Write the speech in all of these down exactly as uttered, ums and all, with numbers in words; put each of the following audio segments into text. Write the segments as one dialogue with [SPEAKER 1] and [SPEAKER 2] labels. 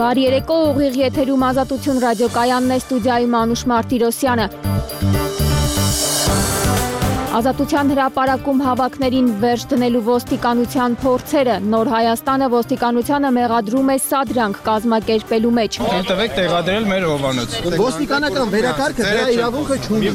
[SPEAKER 1] Բարի երեկո, ուղիղ եթերում Ազատություն ռադիոկայանն է, ստուդիայում Անուշ Մարտիրոսյանը։ Ազատության հրապարակում հավաքներին վերջ դնելու ոստիկանության փորձերը, Նոր Հայաստանը ոստիկանությանը մեղադրում է սադրանք կազմակերպելու մեջ։
[SPEAKER 2] Տվեք տեղադրել մեր հովանոց։
[SPEAKER 3] Ոստիկանական վերակարգը դրա իրավունքը չունի։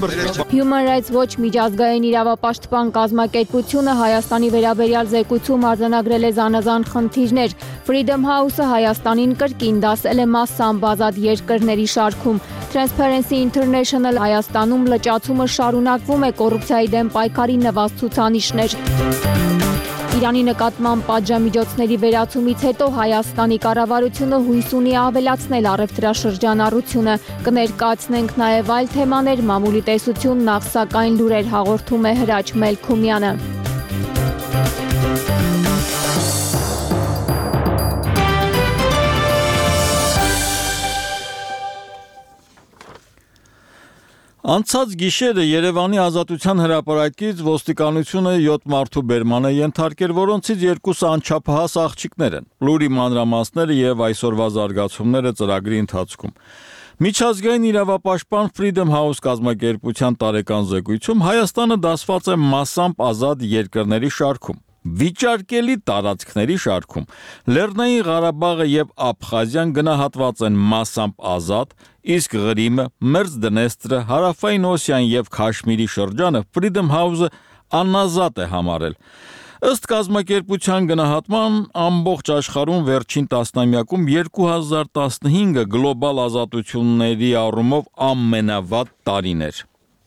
[SPEAKER 1] Human Rights Watch միջազգային իրավապաշտպան կազմակերպությունը Հայաստանի վերաբերյալ զեկույցում արձանագրել է զանազան խնդիրներ։ Freedom House-ը Հայաստանին կրկին դասել է մասամբ ազատ երկրների շարքում։ Transparency International Հայաստանում լճացումը շարունակվում է, կոռուպցիայի դեմ պայքարի նվազ ցուցանիշներ։ Իրանի նկատմամբ պատժամիջոցների վերացումից հետո Հայաստանի կառավարությունը հույս ունի ավելացնել առևտրաշրջանառությունը։ Կներկայացնենք նաև այլ թեմաներ, մամուլի տեսություն, նախ սակայն լուրեր հաղորդում է Հրաչ Մելքումյանը։
[SPEAKER 4] Անցած գիշերը Երևանի Ազատության հրապարակից ոստիկանությունը յոթ մարդու բերման է ենթարկել, որոնցից երկուսը անչափահաս աղջիկներ են։ Լուրի մանրամասները եւ այսօրվա զարգացումները ծրագրի ընթացքում։ Միջազգային իրավապաշտպան Freedom House կազմակերպության տարեկան զեկույցում Հայաստանը դասված է մասամբ ազատ երկրների շարքում։ Վիճարկելի տարածքների շարքում Լեռնային Ղարաբաղը եւ Աբխազիան գնահատված են մասամբ ազատ, իսկ Ղրիմը, Մերձդնեստրը, Հարավային Օսիան եւ Քաշմիրի շրջանը Freedom House-ը անազատ է համարել։ Ըստ կազմակերպության գնահատման ամբողջ աշխարհում վերջին տասնամյակում երկու հազար տասնհինգը գլոբալ ազատությունների առումով ամենավատ տարին էր։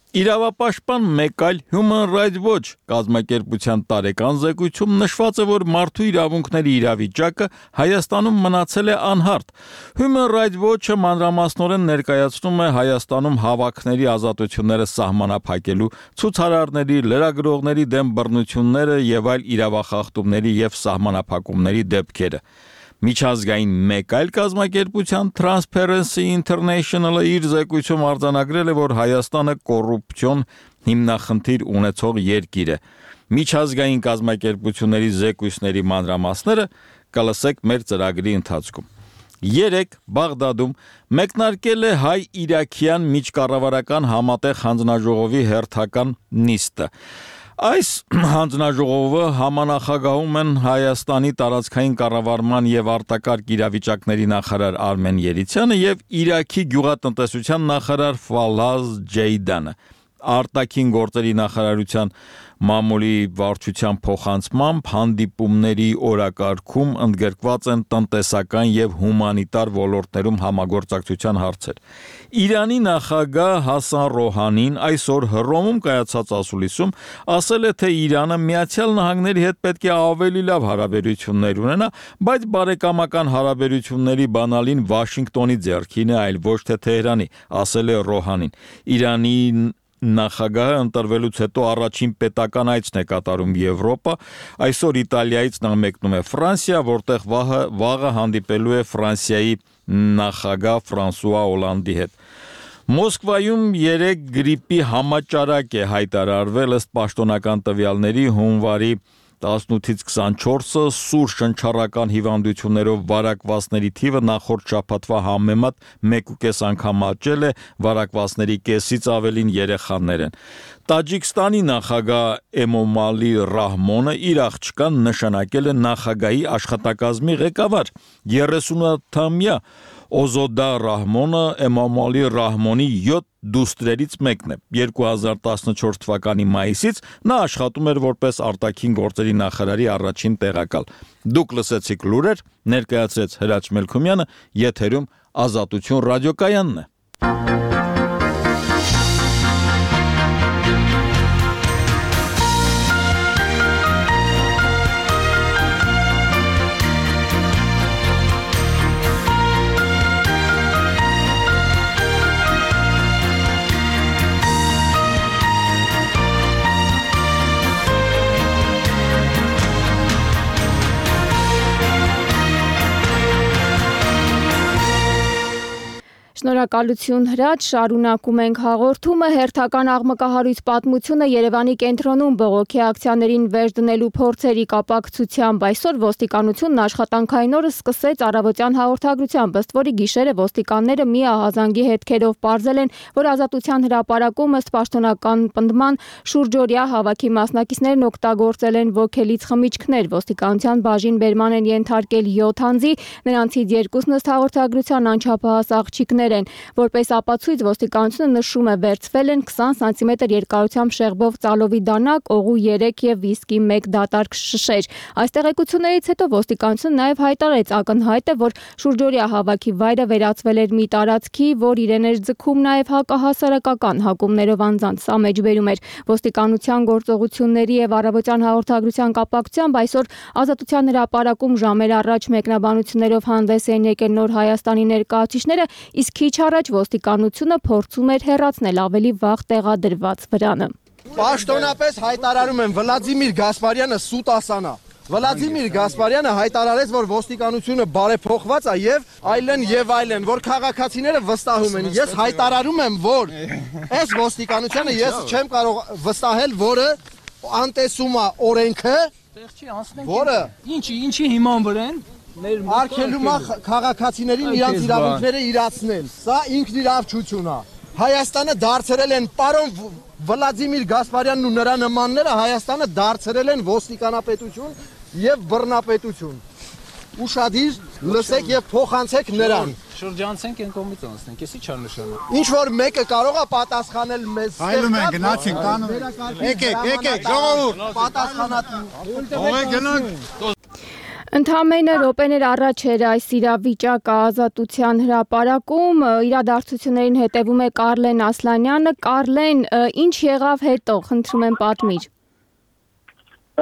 [SPEAKER 4] Իրավապաշտպան մեկ այլ Human Rights Watch կազմակերպության տարեկան զեկույցում նշված է, որ մարդու իրավունքների իրավիճակը Հայաստանում մնացել է անհարթ։ Human Rights Watch-ը մանրամասնորեն ներկայացնում է Հայաստանում հավաքների ազատությունները սահմանափակելու, ցուցարարների, լրագրողների դեմ բռնությունները եւ այլ իրավախախտումների եւ սահմանափակումների դեպքերը։ Միջազգային մեկ այլ կազմակերպության Transparency International-ը իր զեկույցում արձանագրել է, որ Հայաստանը կոռուպցիոն հիմնախնդիր ունեցող երկիր է։ Միջազգային կազմակերպությունների զեկույցների մանրամասները կլսեք մեր ծրագրի ընթացքում։ Երեկ Բաղդադում մեկնարկել է հայ-իրաքյան միջկառավարական համատեղ հանձնաժողովի հերթական նիստը։ Այս հանձնաժողովը համանախագահում են Հայաստանի տարածքային կառավարման եւ արտակարգ իրավիճակների նախարար Արմեն Երիցյանը եւ Իրաքի գյուղատնտեսության նախարար Ֆալահ Ջեյդանը։ Արտաքին գործերի նախարարության մամուլի վարչության փոխանցմամբ հանդիպումների օրակարգում ընդգրկված են տնտեսական եւ հումանիտար ոլորտներում համագործակցության հարցեր։ Իրանի նախագահ Հասան Ռոհանին այսօր Հռոմում կայացած ասուլիսում ասել է, թե Իրանը Միացյալ Նահանգների հետ պետք է ավելի լավ հարաբերություններ ունենա, բայց բարեկամական հարաբերությունների բանալին Վաշինգտոնի ձեռքին է, այլ ոչ թե Թեհրանի, ասել է Ռոհանին։ Իրանի նախագահը ընտրվելուց հետո առաջին պետական այցն է կատարում Եվրոպա, այսօր Իտալիայից նա մեկնում է Ֆրանսիա, որտեղ վաղը, վաղը հանդիպելու է Ֆրանսիայի նախագահ Ֆրանսուଆ Օլանդի հետ։ Մոսկվայում երեք գրիպի համաճարակ է հայտարարվել, ըստ պաշտոնական տվյալների հունվարի տասնութից քսանչորսը սուր շնչառական հիվանդություններով վարակվածների թիվը նախորդ շաբաթվա համեմատ մեկ ու կես անգամ աճել է, վարակվածների կեսից ավելին երեխաներ են։ Տաջիկստանի նախագահ Էմոմալի Ռահմոնը իր աղջկան նշանակել է նախագահի աշխատակազմի ղեկավար։ երեսունութամյա Օզոդա Ռահմոնը Էմոմալի Ռահմոնի յոթ դուստրերից մեկն է։ երկու հազար տասնչորս թվականի մայիսից նա աշխատում էր որպես արտաքին գործերի նախարարի առաջին տեղակալ։ Դուք լսեցիք լուրեր, ներկայացրեց Հրաչ Մելքումյանը, եթերում Ազատություն ռադիոկայանն է։
[SPEAKER 1] Շնորհակալություն Հրաչ, շարունակում ենք հաղորդումը։ Հերթական աղմկահարույց պատմությունը Երևանի կենտրոնում բողոքի ակցիաներին վերջ դնելու փորձերի կապակցությամբ այսօր ոստիկանությունն աշխատանքային օրը սկսեց առավոտյան հաղորդագրությամբ, ըստ որի գիշերը ոստիկանները մի ահազանգի հետքերով պարզել են, որ Ազատության հրապարակում ըստ պաշտոնական պնդման շուրջօրյա հավաքի մասնակիցներն օգտագործել են ոգելից խմիչքներ։ Ոստիկանության բաժին բերման են ենթարկել յոթ անձի, նրանցից երկուսն ըստ հաղորդագրության անչափահաս աղջիկներ են, որպես ապացույց ոստիկանությունը նշում է վերցվել են քսան սանտիմետր երկարությամբ շեղբով ծալովի դանակ, օղու երեք եւ վիսկի մեկ դատարկ շշեր։ Այս տեղեկություններից հետո ոստիկանությունը նաեւ հայտարարեց ակնհայտ է, որ շուրջօրյա հավաքի վայրը վերածվել էր մի տարածքի, որ իրեն էր ձգում նաեւ հակահասարակական հակումներով անձանց։ Սա մեջբերում էր ոստիկանության գործողությունների եւ առավոտյան հաղորդագրության կապակցությամբ այսօր Ազատության հրապարակում ժամեր առաջ մեկնաբանություններով հանդես են եկել Նոր Հայաստանի ներկայացուցիչները, իսկ քիչ առաջ ոստիկանությունը փորձում էր հեռացնել ավելի վաղ տեղադրված վրանը։
[SPEAKER 3] Պաշտոնապես հայտարարում եմ Վլադիմիր Գասպարյանը սուտասանա։ Վլադիմիր Գասպարյանը հայտարարեց, որ ոստիկանությունը բարեփոխված է եւ այլն եւ այլն, որ քաղաքացիները վստահում են։ Ես հայտարարում եմ, որ այս ոստիկանությունը ես չեմ կարող վստահել, որը անտեսում է օրենքը, որը
[SPEAKER 2] Ինչի, ինչի հիման վրա են։
[SPEAKER 3] արգելում է քաղաքացիներին իրանց իրավունքները իրացնել։ Սա ինքնիրավչություն է։ Հայաստանը դարձրել են պարոն Վլադիմիր Գասպարյանն ու նրա նմանները Հայաստանը դարձրել են ոստիկանապետություն եւ բռնապետություն։ Ուշադիր լսեք եւ փոխանցեք նրան։
[SPEAKER 2] Շրջանցենք են կողմից անցնենք, էսի չար նշանը։
[SPEAKER 3] Ինչ որ մեկը կարող է պատասխանել մեզ։
[SPEAKER 5] Այլում են գնացինք տանում։ Եկեք, եկեք, ժողովուրդ,
[SPEAKER 3] պատասխանատու։
[SPEAKER 5] Ողեք գնանք։
[SPEAKER 1] Ընդամենը րոպեներ առաջ էր այս իրավիճակը Ազատության հրապարակում, իրադարձություններին հետևում է Կարլեն Ասլանյանը։ Կարլեն, ինչ եղավ հետո, խնդրում եմ պատմիր։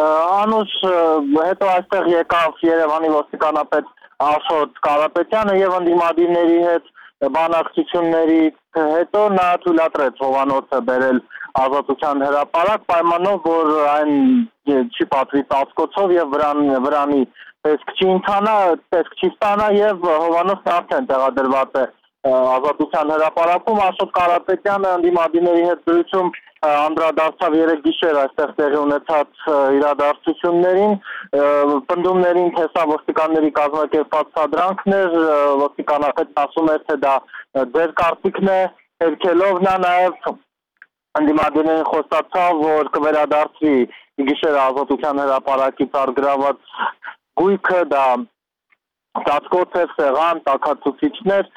[SPEAKER 6] Անուշ հետո այստեղ եկավ Երևանի ոստիկանապետ Աշոտ Կարապետյանը եւ ընդդիմադիրների հետ բանակցությունների հետո նա թույլատրեց Հովանոցը բերել Ազատության հրապարակ պայմանով, որ այն չի պատվի ծածկոցով եւ վրան վրանի տեսք չի ընթանա, տեսք չի ստանա եւ Հովանոցն արդեն տեղադրված է Ազատության հրապարակում։ Աշոտ Կարապետյանը ընդդիմադիրների հետ զրույցում անդրադարձավ երեք գիշեր այստեղ տեղի ունեցած իրադարձություններին, պնդումներին, թե սա ոստիկանների կազմակերպած սադրանքներ, ոստիկանապետն ասում էր, թե դա ձեր կարծիքն է, հերքելով նա նաեւ ընդդիմադիրներին խոստացավ, որ կվերադարձվի գիշերը Ազատության հրապարակից արգրաված գույքը, դա ծածկոց է, սեղան, տաքացուցիչներ,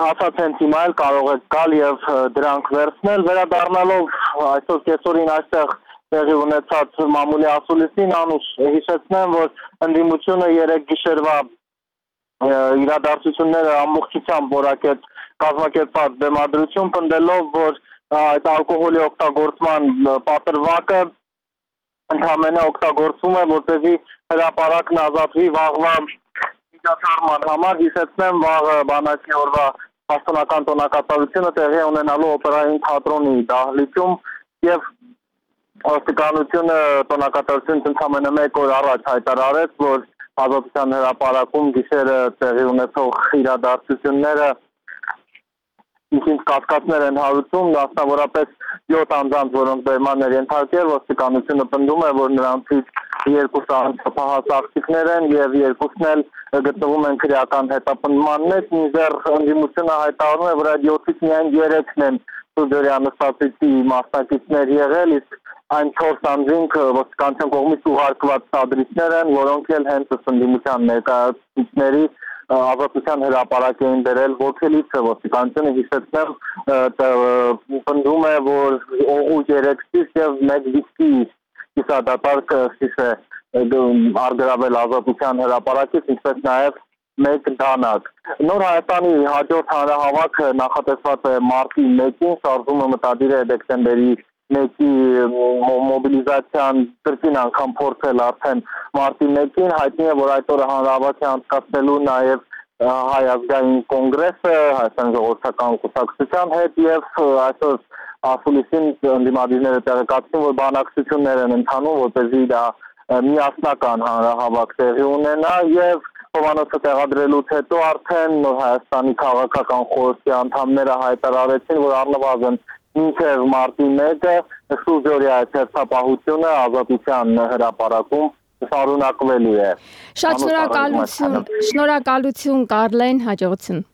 [SPEAKER 6] ասած հենց հիմա էլ կարող եք գալ եւ դրանք վերցնել, վերադառնալով այսօր կեսօրին այստեղ տեղի ունեցած մամուլի ասուլիսին, Անուշ հիշեցնեմ, որ ընդդիմությունը երեք գիշերվա իրադարձությունները ամբողջությամբ որակեց կազմակերպած բեմադրություն, պնդելով, որ այդ ալկոհոլի օգտագործման պատրվակը ընդհանրապես օգտագործվում է, որպեսզի հրապարակն ազատվի վաղվա միջոցառման համար։ Հիշեցնեմ, վաղը բանակի օրվա պաշտոնական տոնակատարությունը տեղի ունենալու օպերային թատրոնի դահլիճում եւ ոստիկանությունը տոնակատարությունից ընդամենը մեկ օր առաջ հայտարարեց, որ Ազատության հրապարակում գիշերը տեղի ունեցող իրադարձությունները ինչ կասկածներ են հարուցում, մասնավորապես յոթ անձանց, որոնք բերման էր ենթարկել, ոստիկանությունը պնդում է, որ նրանցից երկուսը անչափահաս աղջիկներ են եւ երկուսն էլ գտնվում են քրեական հետապնդման մեջ, մինչդեռ ընդդիմությունը հայտարարում է, որ այդ յոթից միայն երեքն են շուրջօրյա նստածի մասնակիցներ եղել, իսկ այն չորս անձինք ոստիկանության կողմից ուղարկված սադրիչներ են, որոնք էլ հենց ընդդիմության ներկայացուցիչների Ազատության հրապարակ էին դրել ոգելիցը։ Ոստիկանությունը հիշեցնեմ պնդում է, որ օղու երեք շիշ եւ մեկ վիսկի կիսադատարկ շիշ է արգրավել Ազատության հրապարակից, ինչպես նաեւ մեկ դանակ։ Նոր Հայաստանի հաջորդ հանրահավաքը նախատեսված է մարտի մեկին, շարժումը մտադիր է դեկտեմբերի մեկի մոբիլիզացիան կրկին անգամ փորձել արդեն մարտի մեկին, հայտնի է, որ այդ օրը հանրահավաք է անցկացնելու նաև Հայ ազգային կոնգրեսը, Հայաստանի ժողովրդական կուսակցության հետ եւ այսօր ասուլիսին ընդդիմադիրները տեղեկացրին, որ բանակցություններ են ընթանում, որպեսզի դա միասնական հանրահավաք տեղի ունենա եւ հովանոցը տեղադրելուց հետո արդեն Հայաստանի քաղաքական խորհրդի անդամները հայտարարեցին, որ առնվազն մինչև մարտի մեկը շուրջօրյա հերթապահությունը ազատության հրապարակում շարունակվելու է։
[SPEAKER 1] Շատ շնորհակալություն, շնորհակալություն Կարլեն, հաջողություն։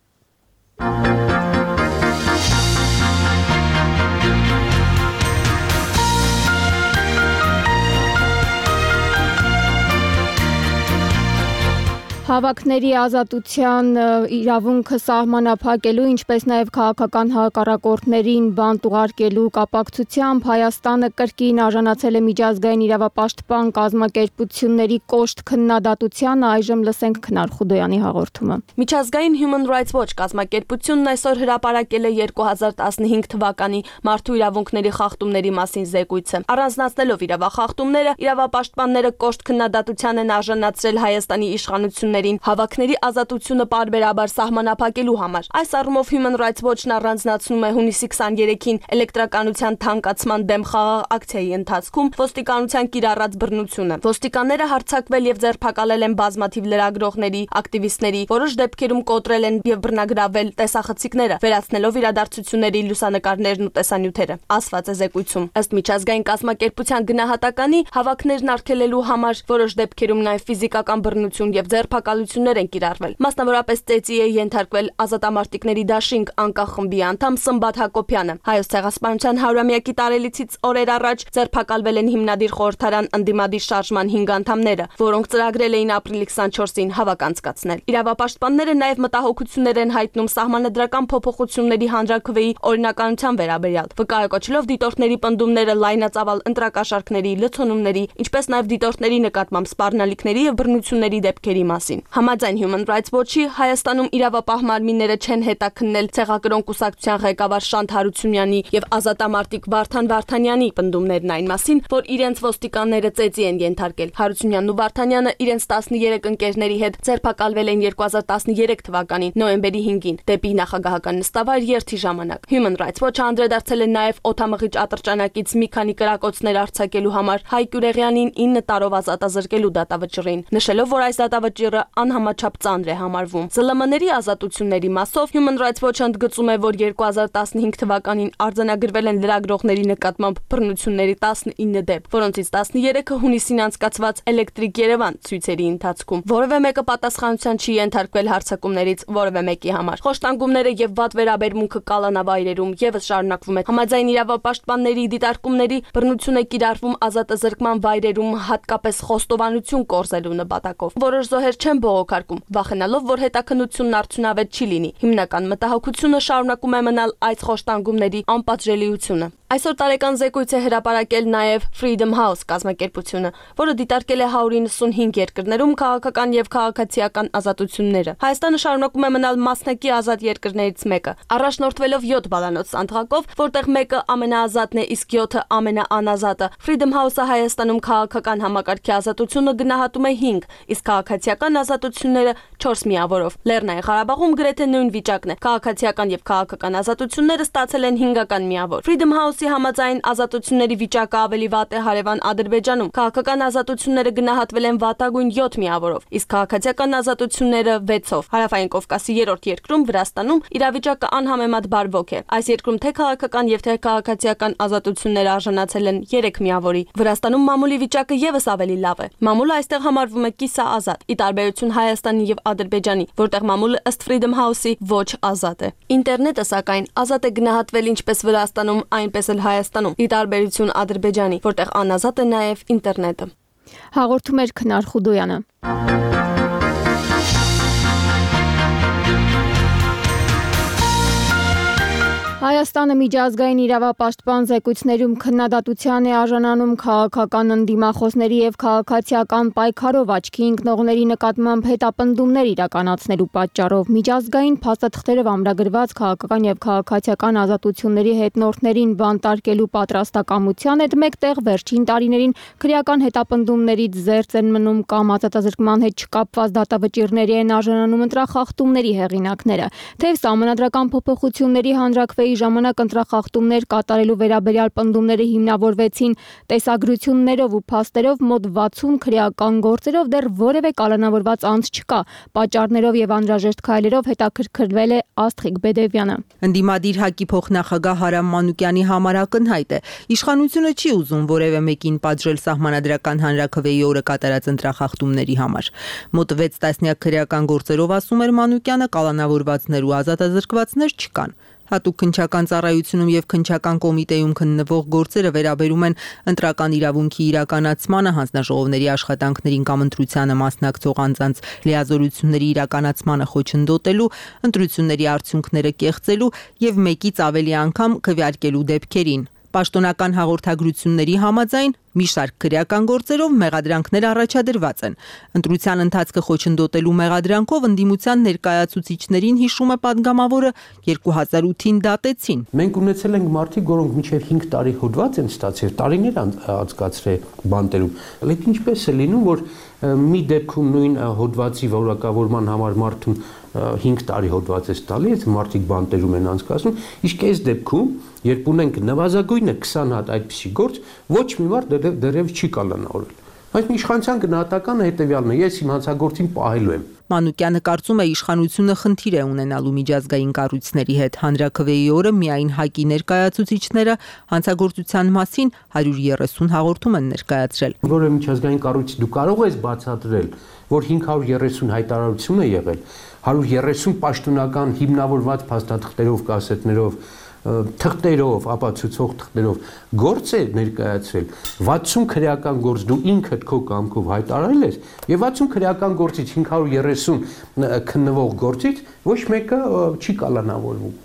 [SPEAKER 1] Հավաքների ազատության իրավունքը սահմանափակելու, ինչպես նաև քաղաքական հակառակորդներին բանտ ուղարկելու կապակցությամբ Հայաստանը կրկին արժանացել է միջազգային իրավապաշտպան կազմակերպությունների կոշտ քննադատությանը, այժմ լսենք Քնար Խուդոյանի հաղորդումը։
[SPEAKER 7] Միջազգային Human Rights Watch կազմակերպությունն այսօր հրապարակել է երկու հազար տասնհինգ թվականի մարդու իրավունքների խախտումների մասին զեկույցը։ Առանձնացնելով իրավախախտումները, իրավապաշտպանները կոշտ քննադատության են արժանացրել Հայաստանի իշխանություններին հավաքների ազատությունը պարբերաբար սահմանափակելու համար։ Այս առումով Human Rights Watch-ն առանձնացնում է հունիսի քսաներեքին էլեկտրականության թանկացման դեմ խաղաղ ակցիայի ընթացքում ոստիկանության կիրառած բռնությունը։ Ոստիկանները հարձակվել եւ ձերբակալել են բազմաթիվ լրագրողների, ակտիվիստների, որոշ դեպքերում կոտրել են եւ բռնագրավել տեսախցիկները, վերացնելով իրադարձությունների լուսանկարներն ու տեսանյութերը։ Ասված է զեկույցում։ Ըստ միջազգային կազմակերպության գնահատականի, հավաքներն արգելելու համար որոշ դեպքերում նաեւ ֆիզիկական բռնություն եւ ձերբակալություններ են կիրառվել։ Մասնավորապես ծեծի է ենթարկվել ազատամարտիկների դաշինք անկախ խմբի անդամ Սմբատ Հակոբյանը։ Հայոց ցեղասպանության հարյուրամյակի տարելիցից օրեր առաջ ձերբակալվել են հիմնադիր խորհրդարան ընդդիմադիր շարժման հինգ անդամները, որոնք ծրագրել էին ապրիլի քսանչորսին հավաք անցկացնել։ Իրավապաշտպանները նաև մտահոգություններ են հայտնում սահմանադրական փոփոխությունների հանրաքվեի օրինականության վերաբերյալ, վկայակոչելով դիտորդների պնդումները լայնածավալ ընտրակաշառքների, լցոնումների, ինչպես նաև դիտորդների նկատմամբ սպառնալիքների եւ բռնությունների դեպքերի մասին։ Համաձայն Human Rights Watch-ի Հայաստանում իրավապահ մարմինները չեն հետաքննել ցեղակրոն կուսակցության ղեկավար Շանթ Հարությունյանի եւ ազատամարտիկ Վարդան Վարդանյանի պնդումներն այն մասին, որ իրենց ոստիկանները ծեծի են ենթարկել։ Հարությունյանն ու Վարդանյանը իրենց տասներեք ընկերների հետ ձերբակալվել են երկու հազար տասներեք թվականի նոյեմբերի հինգին դեպի նախագահական նստավայր երթի ժամանակ։ Human Rights Watch-ը անդրադարձել է նաեւ օդամղիչ ատրճանակից մի քանի կրակոցներ արձակելու համար Հայ Գյուրեղյանին ինը տարով ազատազրկելու դատավճռին, նշելով, որ այս դատավճիռը անհամաչափ ծանր է համարվում։ Զլ Մ Ն-երի ազատությունների մասով Human Rights Watch-ը ընդգծում է, որ երկու հազար տասնհինգ թվականին արձանագրվել են լրագրողների նկատմամբ բռնությունների տասնինը դեպք, որոնցից տասներեքը հունիսին անցկացված Էլեկտրիկ Երևան ցույցերի ընթացքում։ Որևէ մեկը պատասխանատվության չի ենթարկվել հարձակումներից որևէ մեկի համար։ Խոշտանգումները եւ վատ վերաբերմունքը կալանավայրերում եւս շարունակվում է։ Համաձայն իրավապաշտպանների դիտարկումների բռնություն է կիրառվում ազատազրկման վայրերում, հատկապես խոստովանություն կորզելու նպատակով։ Որոշ զոհեր չեն բողոքարկում, վախենալով, որ հետաքննությունն արդյունավետ չի լինի։ Հիմնական մտահոգությունը շարունակում է մնալ այս խոշտանգումների անպատժելիությունը։ Այսօր տարեկան զեկույց է հրապարակել նաև Freedom House կազմակերպությունը, որը դիտարկել է հարյուր իննսունհինգ երկրներում քաղաքական եւ քաղաքացիական ազատությունները։ Հայաստանը շարունակում է մնալ մասնակի ազատ երկրներից մեկը, առաջնորդվելով յոթ բալանոց սանդղակով, որտեղ մեկը ամենաազատն է, իսկ յոթը ամենաանազատը։ Freedom House-ը Հայաստանում քաղաքական համակարգի ազատությունը գնահատում է հինգ, իսկ քաղաքացիական ազատությունները չորս միավորով։ Լեռնային Ղարաբաղում գրեթե նույն վիճակն է։ Քաղաքացիական եւ քաղաքական ազատությունները ստացել են հինգական միավոր։ Freedom House-ի համաձայն ազատությունների վիճակը ավելի վատ է հարևան Ադրբեջանում։ Քաղաքական ազատությունները գնահատվել են վատագույն յոթ միավորով, իսկ քաղաքացիական ազատությունները վեցով։ Հարավային Կովկասի երրորդ երկրում Վրաստանում իրավիճակը անհամեմատ բարվոք է։ Այս երկրում թե քաղաքական եւ թե քաղաքացիական ազատությունները արժանացել են երեք միավորի։ Վրաստանում մամուլի վիճակը եւս ավելի լավ է։ Մամուլը այստեղ համարվում է կիսաազատ, ի տարբերություն Հայաստանի եւ Ադրբեջանի, որտեղ մամուլը ըստ Freedom House-ի ոչ ազատ է։ Ինտերնետը սակայն ազատ է գնահատվել ինչպես Վրաստանում, այնպես էլ Հայաստանում, ի տարբերություն Ադրբեջանի, որտեղ անազատ է նաեւ ինտերնետը։
[SPEAKER 1] Հաղորդում էր Քնար Խուդոյանը։ Հայաստանը միջազգային իրավապաշտպան զեկույցներում քննադատության է արժանանում քաղաքական ընդդիմախոսների եւ քաղաքացիական պայքարով աչքի ընկնողների նկատմամբ հետապնդումներ իրականացնելու պատճառով միջազգային փաստաթղթերով ամրագրված քաղաքական եւ քաղաքացիական ազատությունների հետնորդներին բանտարկելու պատրաստակամության հետ մեկտեղ վերջին տարիներին քրեական հետապնդումներից զերծ են մնում կամ ազատազրկման հետ չկապված դատավճիռների են արժանանում ընտրախախտումների հեղինակները, թեև սահմանադրական փոփոխությունների հանրաքվեի օրերի ժամանակ ընտրախախտումներ կատարելու վերաբերյալ պնդումները հիմնավորվեցին տեսագրություններով ու փաստերով, մոտ վաթսուն քրեական գործերով դեռ որևէ կալանավորված անձ չկա։ Պատճառներով եւ անհրաժեշտ քայլերով հետաքրքրվել է Աստղիկ Բեդևյանը։
[SPEAKER 8] Ընդդիմադիր ՀԱԿ-ի փոխնախագահ Հարամ Մանուկյանի համար ակնհայտ է. իշխանությունը չի ուզում որևէ մեկին պատժել սահմանադրական հանրաքվեի օրը կատարած ընտրախախտումների համար։ Մոտ վեց տասնյակ քրեական գործերով, ասում էր Մանուկյանը, կալանավորվածներ ու ազատազրկվածներ չկան։ Հատուկ քննչական ծառայությունում եւ քննչական կոմիտեում քննվող գործերը վերաբերում են ընտրական իրավունքի իրականացմանը, հանձնաժողովների աշխատանքներին կամ ընտրությանը մասնակցող անձանց լիազորությունների իրականացմանը խոչընդոտելու, ընտրությունների արդյունքները կեղծելու եւ մեկից ավելի անգամ քվեարկելու դեպքերին։ Պաշտոնական հաղորդագրությունների համաձայն մի շարք քրեական գործերով մեղադրանքներ առաջադրված են։ Ընտրության ընթացքը խոչընդոտելու մեղադրանքով ընդդիմության ներկայացուցիչներին, հիշում է падգամավորը, երկու հազար ութին դատեցին։
[SPEAKER 9] Մենք ունեցել ենք մարդիկ, որոնք մինչև հինգ տարի հոդված են ստացել, տարիներ անցկացրել բանտերում։ Լեկ ինչպես է լինում, որ մի դեպքում նույն հոդվածի որակավորման համար մարդուն հինգ տարի հոդված է տալի, այս մարդիկ բանտերում են անցկացնում, իսկ այս դեպքում, երբ ունենք նվազագույնը քսան հատ այդպիսի գործ, ոչ մի մարդ դեռևս չի կալանավորել։ Բայց իշխանության գնահատականը հետևյալն է, ես իմ հանցագործին պահելու եմ։
[SPEAKER 8] Մանուկյանը կարծում է, իշխանությունը խնդիր է ունենալու միջազգային կառույցների հետ։ Հանրաքվեի օրը միայն ՀԱԿ-ի ներկայացուցիչները հանցագործության մասին հարյուր երեսուն հաղորդում են ներկայացրել։
[SPEAKER 9] Որը միջազգային կառույց դու կարող ես բացատրել, որ հինգ հարյուր երեսուն հայտարարություն է եղել, հարյուր երեսուն պաշտոնական հիմնավորված փաստաթղթերով, կասետներով, թղթերով, ապացուցող թղթերով գործ է ներկայացրել, վաթսուն քրեական գործ դու ինքդ քո կամքով հայտարարել ես, եւ վաթսուն քրեական գործից հինգ հարյուր երեսուն քննվող գործից ոչ մեկը չի կալանավորվում։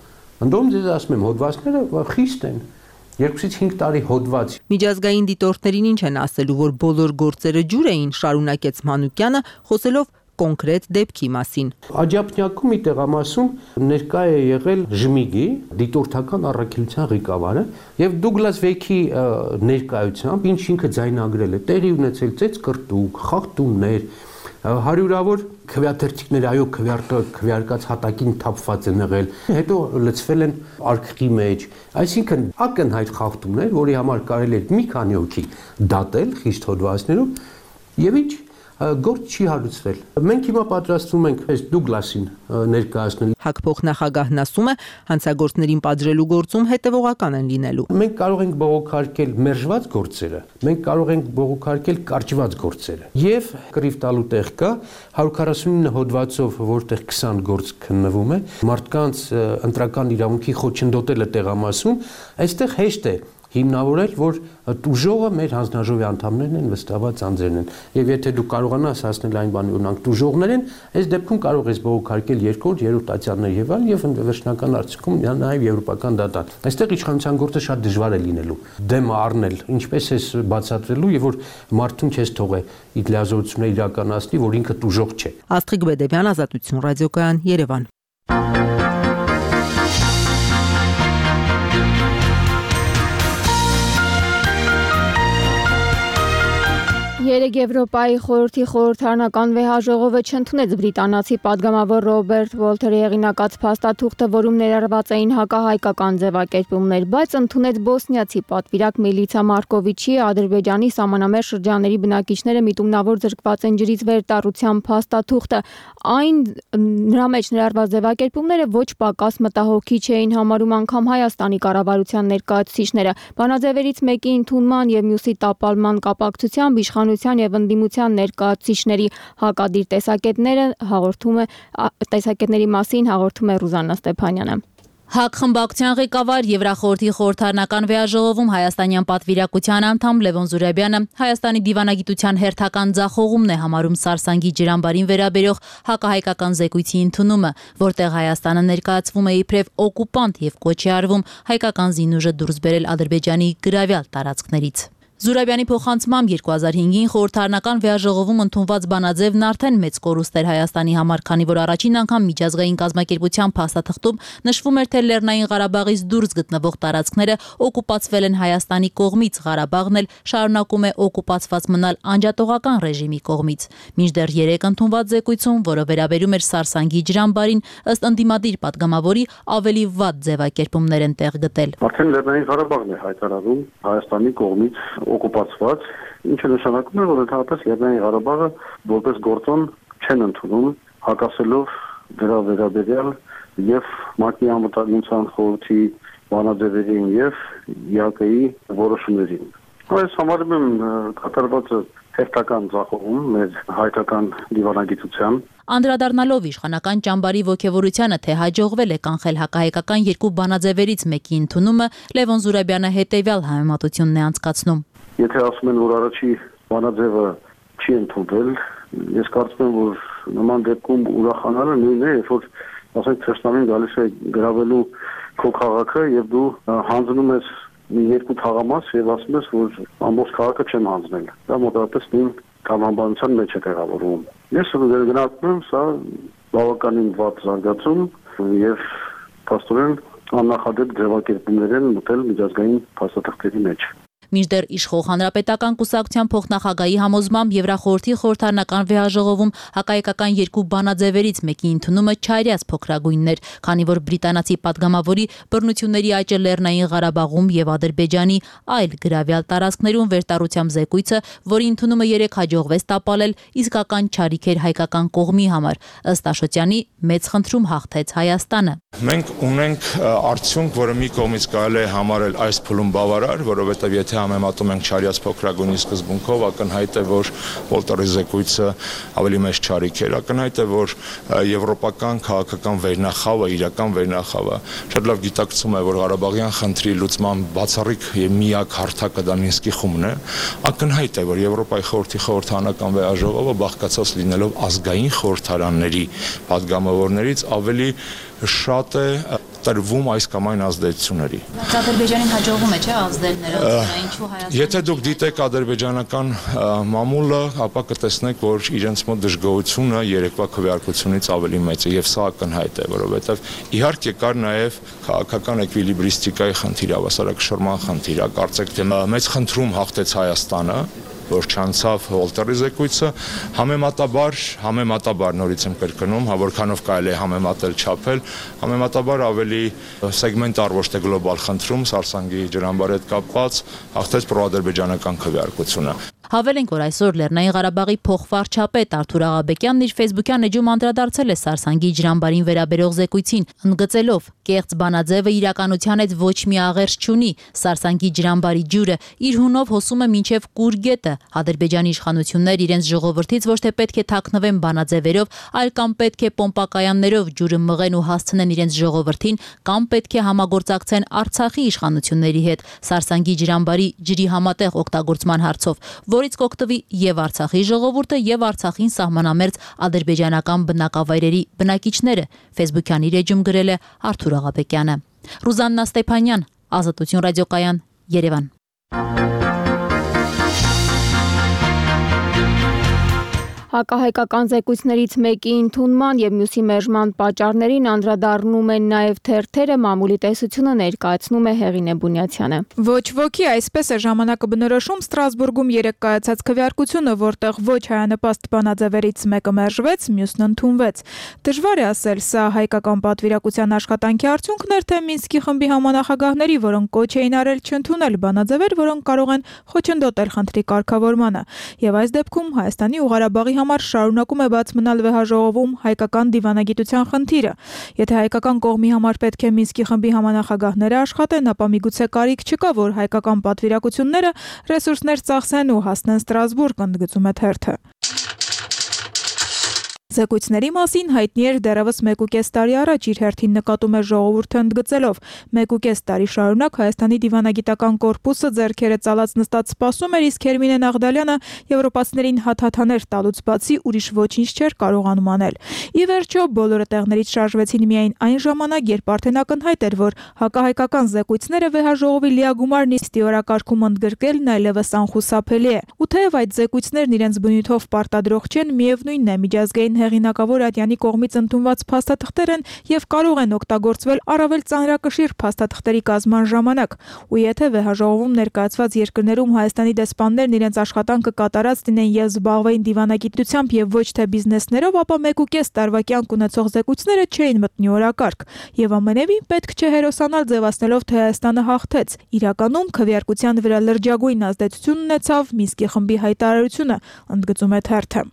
[SPEAKER 9] Ընդդեմ ձեզ ասում եմ, հոդվածները խիստ են։ Երկուսից հինգ տարի հոդված։
[SPEAKER 8] Միջազգային դիտորդներին ինչ են ասելու, որ բոլոր գործերը ջուր էին, շարունակեց Մանուկյանը, խոսելով կոնկրետ դեպքի մասին։
[SPEAKER 9] Աջափնյակում մի տեղամասում ներկա է եղել Ժմիգի դիտորդական առաքելության ղեկավարը եւ Դուգլաս Վեքի ներկայությամբ ինչ ինքը ձայնագրել է, տեղի ունեցել ծեծ կրտուկ, խախտումներ, հարյուրավոր քվեաթերթիկներ, այո, քվեարկած հատակին թափված են եղել, հետո լցվել են արքղի մեջ, այսինքն ակնհայտ խախտումներ, որի համար կարելի է մի քանի հոգի դատել խիստ հոդվածներով եւ ինչ գործ չի հարուցվել։ Մենք հիմա պատրաստվում ենք այս Դուգլասին ներկայացնել։
[SPEAKER 8] ՀԱԿ փոխնախագահն ասում է, հանցագործներին պատժելու գործում հետևողական են լինելու։
[SPEAKER 9] Մենք կարող ենք բողոքարկել մերժված գործերը, մենք կարող ենք բողոքարկել կարճված գործերը։ Եվ կռիվ տալու տեղ կա հարյուր քառասունինը հոդվածով, որտեղ քսան գործ քննվում է, մարդկանց ընտրական իրավունքի խոչընդոտելը տեղամասում, այստեղ հեշտ է հիմնավորել, որ տուժողը մեր հանձնաժողովի անդամներն են, վստահված անձերն են։ Եվ եթե դու կարողանաս հասնել այն բանի, որ նրանք տուժողներ են, այս դեպքում կարող ես բողոքարկել երկրորդ, երրորդ տատյաններ եւ այլն, եւ վերջնական արդյունքում նաեւ եվրոպական դատան։ Այստեղ իշխանության գործը շատ դժվար է լինելու։ Դեմը առնել, ինչպես էս բացատրելու եւ որ մարդուն չես թողե իր լիազորությունները իրականացնի, որ ինքը տուժող չէ։
[SPEAKER 8] Աստղիկ Բեդևյան, Ազատություն ռադիոկայան, Երևան։
[SPEAKER 1] Երեկ Եվրոպայի խորհրդի խորհրդարանական վեհաժողովը չընդունեց բրիտանացի падգամավոր Ռոբերտ Վոլթերի հեղինակած փաստաթուղթը, որում ներառված էին հակահայկական ձևակերպումներ, բայց ընդունեց բոսնիացի պատվիրակ Միլիցա Մարկովիչի Ադրբեջանի սահմանամերձ շրջանների բնակիչները միտումնավոր զրկված են ջրից վերտառության փաստաթուղթը։ Այն նրա մեջ ներառված ձևակերպումները ոչ պակաս մտահոգիչ էին համարում անգամ Հայաստանի կառավարության ներկայացուցիչները։ Բանաձևերից մեկի ընդունման եւ մյուսի տապալման կապակցությամբ իշխանության եւ ընդդիմության ներկայացուցիչների հակադիր տեսակետները հաղորդում է տեսակետների մասին հաղորդում է Ռուզաննա Ստեփանյանը։
[SPEAKER 10] ՀԱԿ խմբակցության ղեկավար Եվրախորհրդի խորհրդարանական վեհաժողովում հայաստանյան պատվիրակության անդամ Լևոն Զուրաբյանը Հայաստանի դիվանագիտության հերթական ձախողումն է համարում Սարսանգի ջրամբարին վերաբերող հակահայկական զեկույցի ընդունումը, որտեղ Հայաստանը ներկայացվում է իբրև օկուպանտ եւ կոչ է արվում հայկական զինուժը դուրս բերել Ադրբեջանի գրավյալ տարածքներից։ Զուրաբյանի փոխանցմամբ երկու հազար հինգին խորհրդարանական վեաժողովում ընդունված բանաձևն արդեն մեծ կորուստ էր Հայաստանի համար, քանի որ առաջին անգամ միջազգային կազմակերպության փաստաթղթում նշվում էր, թե Լեռնային Ղարաբաղից դուրս գտնվող տարածքները օկուպացվել են Հայաստանի կողմից, Ղարաբաղն էլ շարունակում է օկուպացված մնալ անջատողական ռեժիմի կողմից։ Մինչդեռ երեք ընդունված զեկույցում, որը վերաբերում էր Սարսանգի ջրամբարին, ըստ ընդդիմադիր падգամավորի ավելի վատ ձևակերպումներ են տեղ գտել։
[SPEAKER 11] Արդեն Լեռնային Ղարաբաղն է հայտարարում Հայաստանի կողմից օկուպացված, ինչը նշանակում է, որ ընդհանրապես Լեռնային Ղարաբաղը որպես գործոն չեն ընդունում, հակասելով դրա վերաբերյալ եւ ՄԱԿ-ի անվտանգության խորհրդի բանաձևերին եւ ԵԱԿ-ի որոշումներին։ Այս համարում եմ կատարվածը հերթական ձախողում մեր հայկական դիվանագիտության։
[SPEAKER 10] Անդրադառնալով իշխանական ճամբարի ոգևորությանը, թե հաջողվել է կանխել հակահայկական երկու բանաձևերից մեկի ընդունումը, Լևոն Զուրաբյանը հետևյալ համեմատությունն է անցկացնում։
[SPEAKER 11] Եթե ասում են, որ առաջի բանաձևը չի ընդունվել, ես կարծում եմ, որ նման դեպքում ուրախանալը նույնն է, երբ որ ասենք թշնամին գալիս է գրավելու քո քաղաքը եւ դու հանձնում ես մի երկու թաղամաս եւ ասում ես, որ ամբողջ քաղաքը չեմ հանձնել։ Դա մոտավորապես նույն կամամբանության մեջ է տեղավորվում։ Ես գնահատում եմ սա բավականին վատ զարգացում եւ փաստորեն աննախադեպ ձևակերպումներ են մտել միջազգային փաստաթղթերի մեջ։
[SPEAKER 10] Մինչդեռ իշխող հանրապետական կուսակցության փոխնախագահի համոզմամբ Եվրախորհրդի խորհրդարանական վեաժողովում հակահայկական երկու բանաձևերից մեկի ընդունումը չարյաց փոքրագույններ, քանի որ բրիտանացի падգամավորի բռնությունների աճը Լեռնային Ղարաբաղում եւ Ադրբեջանի այլ գրավյալ տարածքներում վերտառությամբ զեկույցը, որի ընդունումը երեք հաջողվեց տապալել, իսկական չարիք էր հայկական կողմի համար։ Ըստ Աշոտյանի, մեծ խնդրում հաղթեց Հայաստանը։
[SPEAKER 12] Մենք ունենք արդյունք, որը մի կողմից կարելի է համարել այս փուլում բավարար, որովհետեւ եթե համեմատում ենք չարյաց փոքրագույնի սկզբունքով, ակնհայտ է, որ Վոլտերի զեկույցը ավելի մեծ չարիք էր, ակնհայտ է, որ եվրոպական քաղաքական վերնախավը, իրական վերնախավը շատ լավ գիտակցում է, որ Ղարաբաղյան խնդրի լուծման բացառիկ եւ միակ հարթակը դա Մինսկի խումբն է, ակնհայտ է, որ Եվրոպայի խորհրդի խորհրդարանական վեաժողովը բաղկացած լինելով ազգային խորհրդարանների падգամավորներից ավելի շատ է տրվում այս կամ այն ազդեցությունների։
[SPEAKER 10] Ադրբեջանին հաջողվում է, չէ՞, ազդել նրա, ինչու Հայաստանը։
[SPEAKER 12] Եթե դուք դիտեք ադրբեջանական մամուլը, ապա կտեսնեք, որ իրենց մոտ դժգոհությունը երեկվա քվեարկությունից ավելի մեծ է, եւ սա ակնհայտ է, որովհետեւ իհարկե կար նաեւ քաղաքական էկվիլիբրիստիկայի խնդիր, հավասարակշռման խնդիր, կարծեք թե մեծ խնդրում հաղթեց Հայաստանը, որ չանցավ Վոլտերի զեկույցը, համեմատաբար, համեմատաբար նորից եմ կրկնում, հա որքանով կարելի է համեմատել չափել, համեմատաբար ավելի սեգմենտար ոչ թե գլոբալ խնդրում Սարսանգի ջրամբարի հետ կապված հաղթեց պրոադրբեջանական քվեարկությունը։
[SPEAKER 10] Հավելենք, որ այսօր Լեռնային Ղարաբաղի փոխվարչապետ Արթուր Աղաբեկյանն իր Facebook-յան էջում անդրադարձել է Սարսանգի ջրամբարին վերաբերող զեկույցին, ընդգծելով. «Կեղծ բանաձևը իրականության հետ ոչ մի աղերս չունի, Սարսանգի ջրամբարի ջուրը իր հունով հոսում է մինչև Կուրգետը, Ադրբեջանի իշխանություններ իրենց ժողովրդից ոչ թե պետք է թաքնվեն բանաձևերով, այլ կամ պետք է պոմպակայաններով ջուրը մղեն ու հասցնեն իրենց ժողովրդին, կամ պետք է համագործակցեն Արցախի իշխանությունների հետ Սարսանգի ջրամբարի ջրի համատեղ օգտագործման հարցով, որից կօգտվի եւ Արցախի ժողովուրդը եւ Արցախին սահմանամերձ ադրբեջանական բնակավայրերի բնակիչները», Facebook-յան իր էջում գրել է Արթուր Աղաբեկյանը։ Ռուզաննա Ստեփանյան, Ազատություն ռադիոկայան, Երևան։
[SPEAKER 1] Հակահայկական զեկույցներից մեկի ընդունման եւ մյուսի մերժման պատճառներին անդրադառնում են նաեւ թերթերը, մամուլի տեսությունը ներկայացնում է Հեղինե Բունյացյանը։
[SPEAKER 13] Ոչ ոքի այսպես է ժամանակը բնորոշում Ստրասբուրգում երեք կայացած քվեարկությունը, որտեղ ոչ հայանպաստ բանաձևերից մեկը մերժվեց, մյուսն ընդունվեց։ Դժվար է ասել, սա հայկական պատվիրակության աշխատանքի արդյունքն էր, թե Մինսկի խմբի համանախագահների, որոնք կոչ էին արել չընդունել բանաձևեր, որոնք կարող են խոչընդոտել խնդրի կարգավորմանը։ Եվ այս դեպքում Հայաստանի ու Ղարաբաղի համար շարունակում է բաց մնալ վեհաժողովում հայկական դիվանագիտության խնդիրը։ Եթե հայկական կողմի համար պետք է Մինսկի խմբի համանախագահները աշխատեն, ապա միգուցե կարիք չկա, որ հայկական պատվիրակությունները ռեսուրսներ ծախսեն ու հասնեն Ստրասբուրգ, ընդգծում է թերթը։ Զեկույցների մասին հայտնի էր դեռևս մեկուկես տարի առաջ իր հերթին նկատում է ժողովուրդը ընդգծելով. մեկուկես տարի շարունակ Հայաստանի դիվանագիտական կորպուսը ձեռքերը ծալած նստած սպասում էր, իսկ Հերմինե Նաղդալյանը եվրոպացիներին հաթաթաներ տալուց բացի ուրիշ ոչինչ չէր կարողանում անել։ Ի վերջո բոլորը տեղներից շարժվեցին միայն այն ժամանակ, երբ արդեն ակնհայտ էր, որ հակահայկական զեկույցները վեհաժողովի լիագումար նիստի օրակարգում ընդգրկելն այլևս անխուսափելի է։ Ու թեև այդ զեկույցներն իրենց բնույթով պարտադրող չեն, միևնույնն է միջազգային հեղինակավոր ատյանի կողմից ընդունված փաստաթղթեր են եւ կարող են օգտագործվել առավել ծանրակշիռ փաստաթղթերի կազման ժամանակ։ Ու եթե վեհաժողովում ներկայացված երկրներում Հայաստանի դեսպաններն իրենց աշխատանքը կատարած դինեն եւ զբաղվեին դիվանագիտությամբ եւ ոչ թե բիզնեսներով, ապա մեկուկես տարվա կյանք ունեցող զեկույցները չէին մտնի օրակարգ։ Եվ ամենևին պետք չէ հերոսանալ ձևացնելով, թե Հայաստանը հաղթեց։ Իրականում քվեարկության վրա լրջագույն ազդեցություն ունեցավ Մինսկի խմբի հայտարարությունը, ընդգծում է թերթը։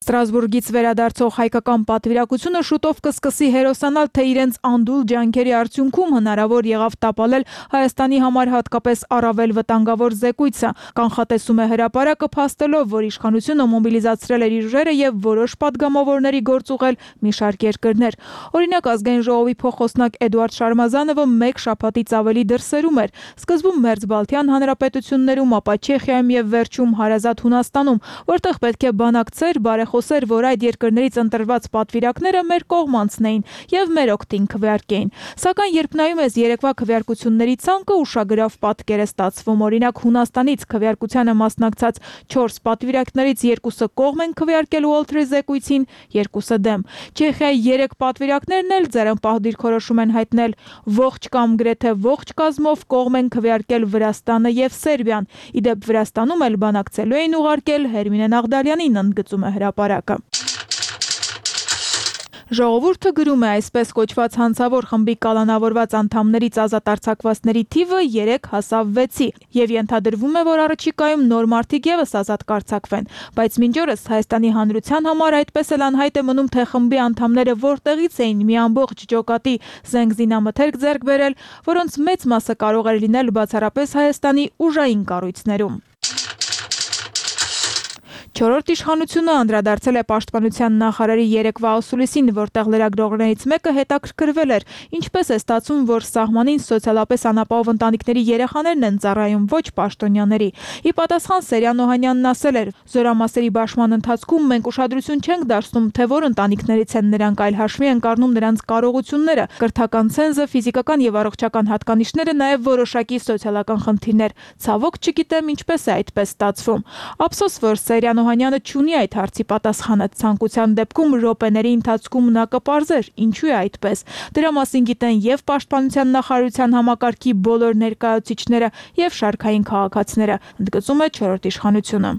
[SPEAKER 13] Ստրասբուրգից վերադարձող հայկական պատվիրակությունը շուտով կսկսի հերոսանալ, թե իրենց անդուլ ջանքերի արդյունքում հնարավոր եղավ տապալել Հայաստանի համար հատկապես առավել վտանգավոր զեկույցը։ Կանխատեսում է հրապարակը, փաստելով, որ իշխանությունը մոբիլիզացրել էր իր ուժերը եւ որոշ падգամավորների գործ ուղղել մի շարք երկրներ։ Օրինակ, ազգային ժողովի փոխոսնակ Էդուարդ Շարմազանովը մեկ շաբաթից ավելի դրսերում էր։ Սկզբում Մերձբալթյան հանրապետություններում, ապա Չեխիայում եւ վերջում հարազատ Հունաստանում, որտեղ պետք է բանակցեր, բարեխոսեր, որ այդ երկրներից ընտրված պատվիրակները մեր կողմանցնեին եւ մեր օգտին քվեարկեին։ Սակայն երբ նայում ես երեկվա քվեարկությունների ցանկը, ուշագրավ պատկեր է ստացվում։ Օրինակ, Հունաստանից քվեարկությանը մասնակցած չորս պատվիրակներից երկուսը կողմ են քվեարկել Ուոլթրի զեկույցին, երկուսը դեմ։ Չեխիայի երեք պատվիրակներն էլ ձեռնպահ դիրքորոշում են հայտնել, ողջ կամ գրեթե ողջ կազմով կողմ են քվեարկել Վրաստանը եւ Սերբիան։ Իդեպ Վրաստանում էլ բանակցելու էին ուղարկել Հերմինե Նաղդալյանին, ընդգծում է հրապարակը։ Ժողովուրդը գրում է, այսպես կոչված հանցավոր խմբի կալանավորված անդամներից ազատ արձակվածների թիվը երեք հասավ վեցի եւ ենթադրվում է, որ առաջիկայում նոր մարդիկ եւս ազատ կարձակվեն, բայց մինչ օրս Հայաստանի հանրության համար այդպես էլ անհայտ է մնում, թե խմբի անդամները որտեղից էին մի ամբողջ ջոկատի զենգզինամթերք ձեռք բերել, որոնց մեծ մասը կարող էր լինել բացառապես Հայաստանի ուժային կառույցներում։ Չորրորդ իշխանությունը անդրադարձել է պաշտպանության նախարարի երեկվա ասուլիսին, որտեղ լրագրողներից մեկը հետաքրքրվել էր, ինչպես է ստացվում, որ սահմանին սոցիալապես անապահով ընտանիքների երեխաներն են ծառայում, ոչ պաշտոնյաների։ Ի պատասխան Սերյան Օհանյանն ասել էր. «Զորամասերի բաշխման ընթացքում մենք ուշադրություն չենք դարձնում, թե որ ընտանիքներից են նրանք, այլ հաշվի ենք առնում նրանց կարողությունները, կրթական ցենզը, ֆիզիկական եւ առողջական հատկանիշները, նաեւ որոշակի սոցիալական խնդիրներ։ Ցավոք չգիտեմ ինչպես է այդպես ստացվում»։ Ափսոս, որ Սերյան Օհանյանը չունի այդ հարցի պատասխանը, ցանկության դեպքում րոպեների ընթացքում նա կպարզեր ինչու է այդպես։ Դրա մասին գիտեն եւ պաշտպանության նախարարության համակարգի բոլոր ներկայացուցիչները եւ շարքային քաղաքացիները, ընդգծում է չորրորդ իշխանությունը։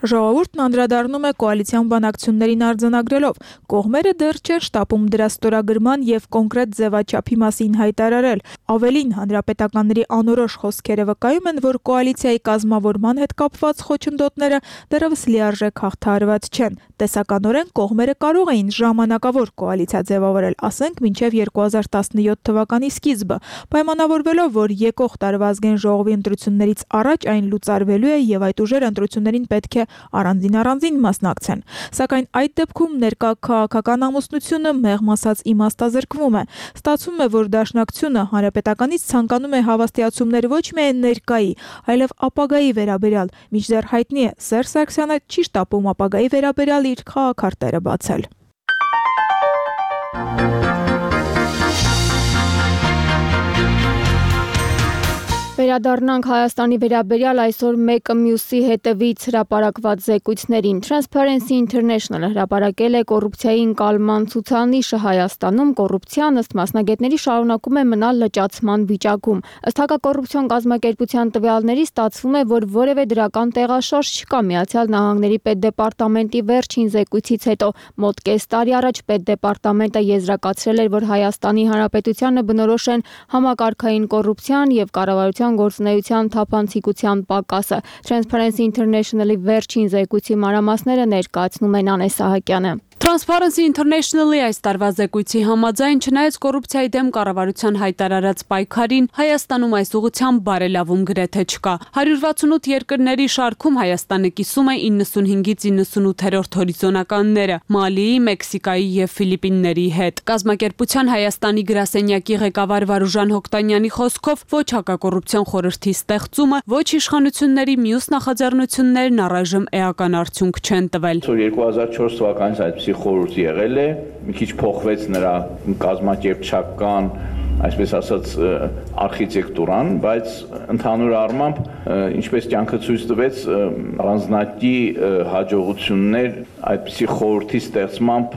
[SPEAKER 13] Ժողովուրդն անդրադառնում է կոալիցիոն բանակցություններին արձանագրելով. կողմերը դեռ չէր շտապում դրա ստորագրման եւ կոնկրետ ձևաչափի մասին հայտարարել։ Ավելին, հանրապետականների անորոշ խոսքերը վկայում են, որ կոալիցիայի կազմավորման հետ կապված խոչընդոտները դեռևս լիարժեք հաղթահարված չեն։ Տեսականորեն կողմերը կարող էին ժամանակավոր կոալիցիա ձևավորել, ասենք մինչև երկու հազար տասնյոթ թվականի սկիզբը, պայմանավորվելով, որ եկող տարվա ազգային ժողովի ընտրություններից առաջ այն լուծարվելու է եւ այդ ուժերը ընտրություններին պետք է առանձին-առանձին մասնակցեն։ Սակայն այդ դեպքում ներկա քաղաքական ամուսնությունը մեղմ ասած իմաստազրկվում է։ Ստացվում է, որ Դաշնակցությունը հանրապետականից ցանկանում է հավաստիացումներ ոչ միայն ներկայի, այլև ապագայի վերաբերյալ։ Մինչդեռ հայտնի է, Սերժ Սարգսյանը չի շտապում ապագայի վերաբերյալ իր քաղաքարտերը բացել։
[SPEAKER 1] Վերադառնանք Հայաստանի վերաբերյալ այսօր մեկը մյուսի հետևից հրապարակված զեկույցներին։ Transparency International հրապարակել է կոռուպցիայի ընկալման ցուցանիշը Հայաստանում։ Կոռուպցիան ըստ մասնագետների շարունակում է մնալ լճացման վիճակում։ Ըստ հակակոռուպցիոն կազմակերպության տվյալների ստացվում է, որ որևէ դրական տեղաշարժ չկա։ Միացյալ Նահանգների պետդեպարտամենտի վերջին զեկույցից հետո մոտ կես տարի առաջ պետդեպարտամենտը եզրակացրել էր, որ Հայաստանի Հանրապետությանը բնորոշ են համակարգային կոռուպցիան եւ կառավարության գործունեության թափանցիկության պակասը։ Transparency International-ի վերջին զեկույցի մանրամասները ներկայացնում են Անե Սահակյանը։
[SPEAKER 14] Transparency International-ի այս տարվա զեկույցի համաձայն, չնայած կոռուպցիայի դեմ կառավարության հայտարարած պայքարին, Հայաստանում այս ուղղությամբ բարելավում գրեթե չկա։ հարյուր վաթսունութ երկրների շարքում Հայաստանը կիսում է իննսունհինգից իննսունութերորդ հորիզոնականները՝ Մալիի, Մեքսիկայի և Ֆիլիպինների հետ։ Կազմակերպության Հայաստանի գրասենյակի ղեկավար Վարուժան Հոկտանյանի խոսքով, ոչ հակակոռուպցիոն խորհրդի ստեղծումը, ոչ իշխանությունների մյուս նախաձեռնություններն առայժմ էական արդյունք չեն տվել։
[SPEAKER 15] երկու հազար չորս թվականից այդպիսի խորհուրդ եղել է, մի քիչ փոխվեց նրա կազմակերպչական, այսպես ասած, արխիտեկտուրան, բայց ընդհանուր առմամբ, ինչպես կյանքը ցույց տվեց, առանձնակի հաջողություններ այդպիսի խորհրդի ստեղծմամբ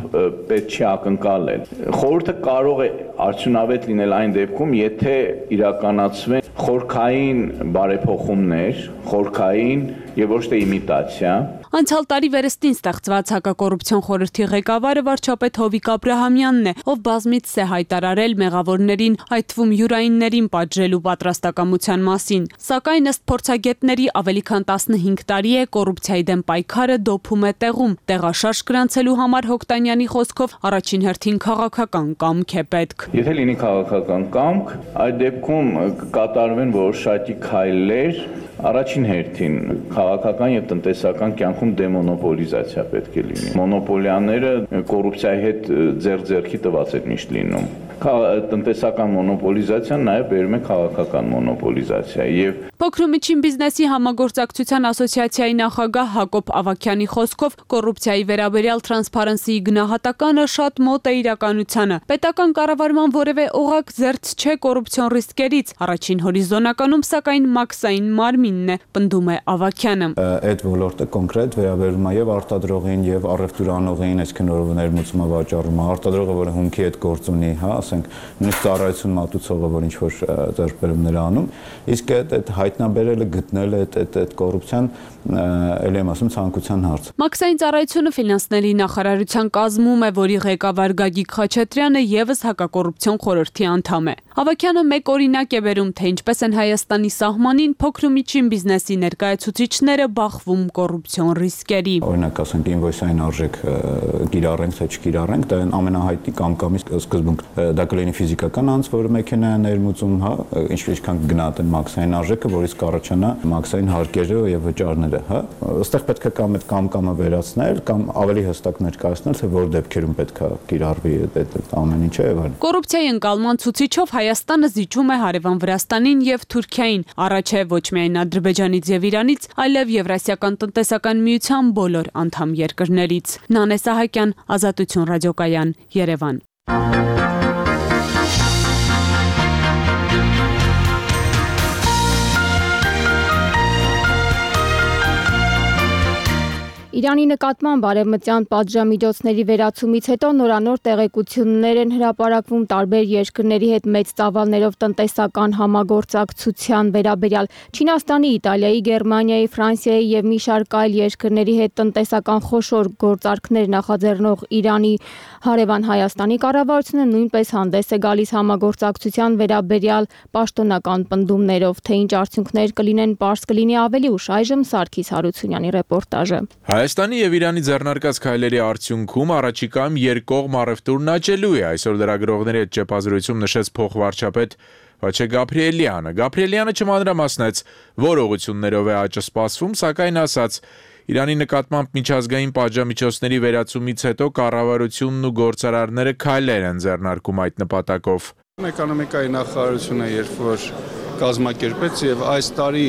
[SPEAKER 15] պետք չի ակնկալել։ Խորհուրդը կարող է արդյունավետ լինել այն դեպքում, եթե իրականացվեն խորքային բարեփոխումներ, խորքային եւ ոչ թե իմիտացիա։
[SPEAKER 14] Անցյալ տարի վերստին ստեղծված հակակոռուպցիոն խորհրդի ղեկավարը վարչապետ Հովիկ Աբրահամյանն է, ով բազմիցս է հայտարարել մեղավորներին, այդ թվում յուրայիններին պատժելու պատրաստակամության մասին։ Սակայն ըստ փորձագետների ավելի քան տասնհինգ տարի է կոռուպցիայի դեմ պայքարը դոփում է տեղում։ Տեղաշարժ գրանցելու համար Հոկտանյանի խոսքով առաջին հերթին քաղաքական կամք է պետք։
[SPEAKER 15] Եթե լինի քաղաքական կամք, այդ դեպքում կկատարվեն որոշակի քայլեր, առաջին հերթին քաղաքական եւ տնտեսական կյանքում դեմոնոպոլիզացիա պետք է լինի։ Մոնոպոլիաները կոռուպցիայի հետ ձեռ-ձեռքի տված են միշտ լինում։ Տնտեսական մոնոպոլիզացիան նաև բերում է քաղաքական մոնոպոլիզացիա եւ
[SPEAKER 14] Փոքր ու միջին բիզնեսի համագործակցության ասոցիացիայի նախագահ Հակոբ Ավագյանի խոսքով կոռուպցիայի վերաբերյալ Transparency-ի գնահատականը շատ մոտ է իրականությանը։ Պետական կառավարման որևէ օղակ զերծ չէ կոռուպցիոն ռիսկերից։ Առաջին հորիզոնականում սակայն մաքսային մարմինն է, պնդում է Ավագյանը։
[SPEAKER 16] Այդ ոլորտը կոնկրետ վերաբերում է եւ արտադրողին եւ առևտուրանողին, այսինքն որը ներմուծումը վաճառում է, արտադրողը, որը հումքի հետ գործ ունի, հա, ասենք նույնիսկ ծառայություն մատուցողը, որ ինչ որ ձեռքբերումներ անում, իսկ այդ հայտնաբերելը, գտնելը այդ այդ այդ կոռուպցիան ելի եմ ասում ցանկության հարց։
[SPEAKER 14] Մաքսային ծառայությունը ֆինանսների նախարարության կազմում է, որի ղեկավար Գագիկ Խաչատրյանը եւս հակակոռուպցիոն խորհրդի անդամ է։ Ավագյանը մեկ օրինակ է բերում, թե ինչպես են Հայաստանի սահմանին փոքր ու միջին բիզնեսի ներկայացուցիչները բախվում կոռուպցիոն ռիսկերի։
[SPEAKER 16] Օրինակ ասենք ինվոյսային արժեք կիրառենք, թե չկիրառենք, դա ամենահայտնի կամ-կամի սկզբունք։ Դա կլինի ֆիզիկական անձ, որը մեքենա է ներմուծում, հա, ինչքան գնահատեն մաքսային արժեքը, որից կառաջանա մաքսային հարկերը եւ վճարները, հա։ Այստեղ պետք է կամ այդ կամ-կամը վերացնել, կամ ավելի հստակ ներկայացնել, թե որ դեպքերում պետք է կիրառվի այդ ամեն ինչը եւ այլն։
[SPEAKER 14] Կոռուպցիայի ընկալման ցուցիչով Հայաստանը զիջում է հարևան Վրաստանին եւ Թուրքիային, առաջ է ոչ միայն Ադրբեջանից եւ Իրանից, այլև Եվրասիական տնտեսական միության բոլոր անդամ երկրներից։ Նանե Սահակյան, Ազատություն ռադիոկայան, Երևան։
[SPEAKER 1] Իրանի նկատմամբ արևմտյան պատժամիջոցների վերացումից հետո նորանոր տեղեկություններ են հրապարակվում տարբեր երկրների հետ մեծ ծավալներով տնտեսական համագործակցության վերաբերյալ։ Չինաստանի, Իտալիայի, Գերմանիայի, Ֆրանսիայի եւ մի շարք այլ երկրների հետ տնտեսական խոշոր գործարքներ նախաձեռնող Իրանի հարևան Հայաստանի կառավարությունը նույնպես հանդես է գալիս համագործակցության վերաբերյալ պաշտոնական պնդումներով, թե ինչ արդյունքներ կլինեն, պարզ կլինի ավելի ուշ։ Այժմ Սարգիս Հարությունյանի ռեպորտաժը։
[SPEAKER 17] Հայաստանի եւ Իրանի ձեռնարկած քայլերի արդյունքում առաջիկայում երկկողմ առևտուրն աճելու է, այսօր լրագրողների հետ ճեպազրույցում նշեց փոխվարչապետ Վաչե Գաբրիելյանը։ Գաբրիելյանը չմանրամասնեց, որ ուղղություններով է աճը սպասվում, սակայն ասաց, Իրանի նկատմամբ միջազգային պատժամիջոցների վերացումից հետո կառավարությունն ու գործարարները քայլեր են ձեռնարկում այդ նպատակով։
[SPEAKER 18] Էկոնոմիկայի նախարարությունը երբ որ կազմակերպեց եւ այս տարի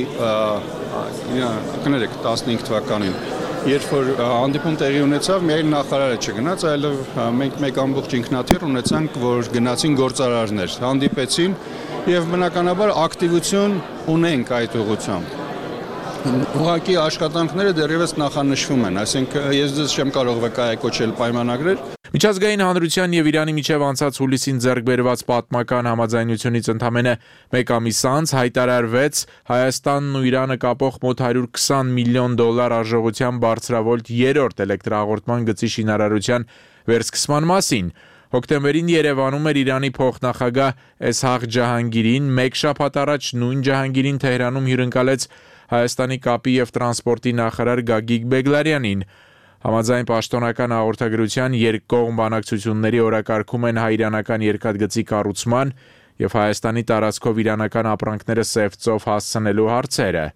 [SPEAKER 18] կներեք տասնհինգ թվականին երբ որ հանդիպում տեղի ունեցավ, միայն նախարարը չգնաց, այլև մենք մեկ ամբողջ ինքնաթիռ ունեցանք, որ գնացին գործարարներ, հանդիպեցին եւ բնականաբար ակտիվություն ունենք այդ ուղղությամբ։ Ուղղակի աշխատանքները դեռևս նախանշվում են, այսինքն ես ձեզ չեմ կարող վկայակոչել պայմանագրեր։
[SPEAKER 17] Միջազգային հանրության եւ Իրանի միջև անցած հուլիսին ձեռք բերված պատմական համաձայնությունից ընդամենը մեկ ամիս անց հայտարարվեց Հայաստանն ու Իրանը կապող մոտ հարյուր քսան միլիոն դոլար արժողությամբ բարձրավոլտ երրորդ էլեկտրահաղորդման գծի շինարարության վերսկսման մասին։ Հոկտեմբերին Երևանում էր Իրանի փոխնախագահ Էսհաղ Ջահանգիրին, մեկ շաբաթ առաջ նույն Ջահանգիրին Թեհրանում հյուրընկալեց Հայաստանի կապի եւ տրանսպորտի նախարար Գագիկ Բեգլարյանին։ Համաձայն պաշտոնական հաղորդագրության երկկողմ բանակցությունների օրակարգում են հայ-իրանական երկաթգծի կառուցման եւ Հայաստանի տարածքով իրանական ապրանքները սևծով հասցնելու հարցերը։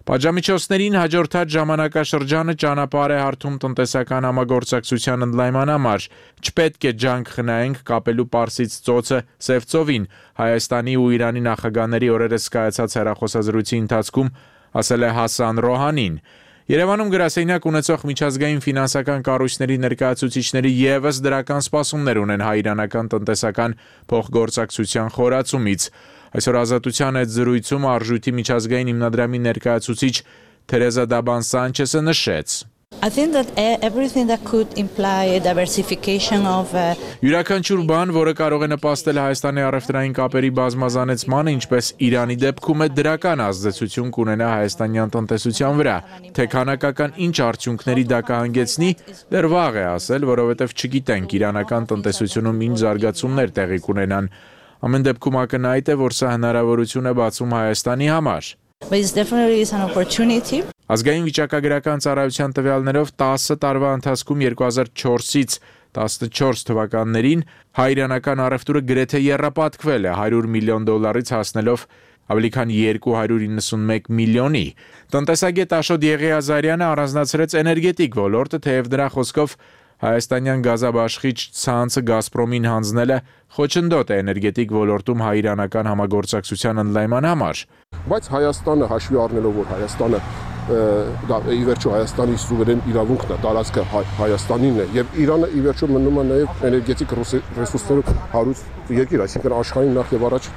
[SPEAKER 17] Պատժամիջոցներին հաջորդած ժամանակաշրջանը ճանապարհ է հարթում տնտեսական համագործակցության ընդլայնման համար։ Չպետք է ջանք խնայենք կապելու Պարսից ծոցը Սևծովին, Հայաստանի ու Իրանի նախագահների օրերս կայացած հեռախոսազրույցի ընթացքում ասել է Հասան Ռոհանին։ Երևանում գրասենյակ ունեցող միջազգային ֆինանսական կառույցների ներկայացուցիչների ևս դրական սպասումներ ունեն հայ-իրանական տնտեսական փոխգործակցության խորացումից։ Այսօր Ազատության հետ զրույցում Արժույթի միջազգային հիմնադրամի ներկայացուցիչ Թերեզա Դաբան Սանչեսը նշեց.
[SPEAKER 19] I think that everything that could imply a diversification of
[SPEAKER 17] Յուրաքանչյուր բան, որը կարող է նպաստել Հայաստանի առևտրային կապերի բազմազանեցմանը, ինչպես Իրանի դեպքում է դրական ազդեցություն կունենա հայաստանյան տնտեսության վրա, թե քանակական ինչ արդյունքների դա կհանգեցնի, դեռ վաղ է ասել, որովհետև չգիտենք իրանական տնտեսությունում ինչ զարգացումներ տեղի կունենան։ Ամեն դեպքում ակնհայտ է, որ սա հնարավորություն է բացում Հայաստանի համար։
[SPEAKER 19] But it's definitely is an opportunity.
[SPEAKER 17] Ազգային վիճակագրական ծառայության տվյալներով տասը տարվա ընթացքում երկու հազար չորսից տասնչորս թվականներին հայ-իրանական առևտուրը գրեթե եռապատկվել է հարյուր միլիոն դոլարից հասնելով ավելի քան երկու հարյուր իննսունմեկ միլիոնի։ Տնտեսագետ Աշոտ Եղիազարյանը առանձնացրեց էներգետիկ ոլորտը, թեև դրա խոսքով հայաստանյան գազաբաշխիչ ցանցը Գազպրոմին հանձնելը խոչընդոտ է էներգետիկ ոլորտում հայ-իրանական համագործակցության ընդլայնման համար։
[SPEAKER 20] Բայց Հայաստանը հաշվի առնելով, որ Հայաստանը դա ի վերջո Հայաստանի սուվերեն իրավունքն է, տարածքը Հայաստանինն է եւ Իրանը ի վերջո մնում է նաեւ էներգետիկ ռեսուրսներով հարուստ երկիր, այսինքն աշխարհին նախ եւ առաջ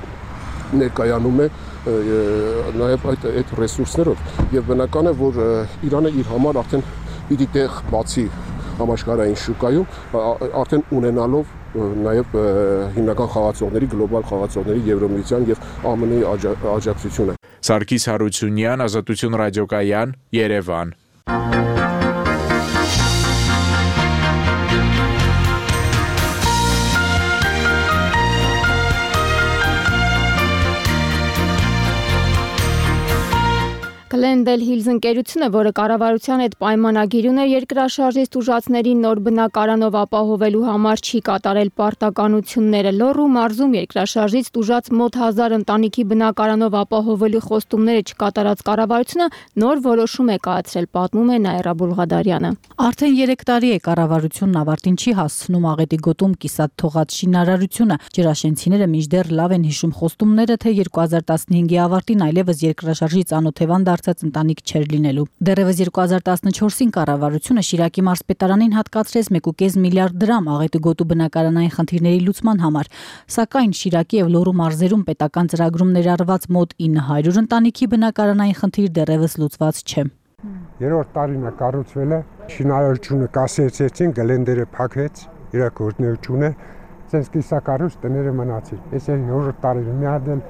[SPEAKER 20] ներկայանում է նաեւ այդ այդ ռեսուրսներով եւ բնական է, որ Իրանը իր համար արդեն պիտի տեղ բացի համաշխարհային շուկայում արդեն ունենալով նաև հիմնական խաղացողների, գլոբալ խաղացողների Եվրոմիության եւ Α M N-ի աջակցությունը։
[SPEAKER 17] Սարգիս Հարությունյան, Ազատություն ռադիոկայան, Երևան։
[SPEAKER 1] Glendale Hills ընկերությունը, որը կառավարության հետ պայմանագիր ուներ երկրաշարժից տուժածներին նոր բնակարանով ապահովելու համար, չի կատարել պարտականությունները։ Լոռու մարզում երկրաշարժից տուժած մոտ հազար ընտանիքի բնակարանով ապահովելու խոստումները չկատարած կառավարությունը նոր որոշում է կայացրել, պատմում է Նաիրա Բուլղադարյանը։
[SPEAKER 10] Արդեն երեք տարի է կառավարությունն ավարտին չի հասցնում Աղետի գոտում կիսատ թողած շինարարությունը։ Ջրաշենցիները մինչդեռ լավ են հիշում խոստումները, թե երկու հազար տասնհինգի ավարտին այլևս երկրաշարժի ծանոթևան դարձած ընտանիք չեր լինելու։ Դեռևս երկու հազար տասնչորսին կառավարությունը Շիրակի մարզպետարանին հատկացրեց մեկ ու կես միլիարդ դրամ Աղետի գոտու բնակարանային խնդիրների լուծման համար, սակայն Շիրակի եւ Լոռու մարզերում պետական ծրագրում ներառված մոտ ինը հարյուր ընտանիքի բնակարանային խնդիր դեռևս լուծված չէ։
[SPEAKER 21] Երրորդ տարին է կառուցվել է, շինարարությունը կասեցեցին, գլենդերը փակվեց, իր գործունեությունը, ցենց կիսակառույց տները մնացին։ Այս է երրորդ տարին մի հատ էլ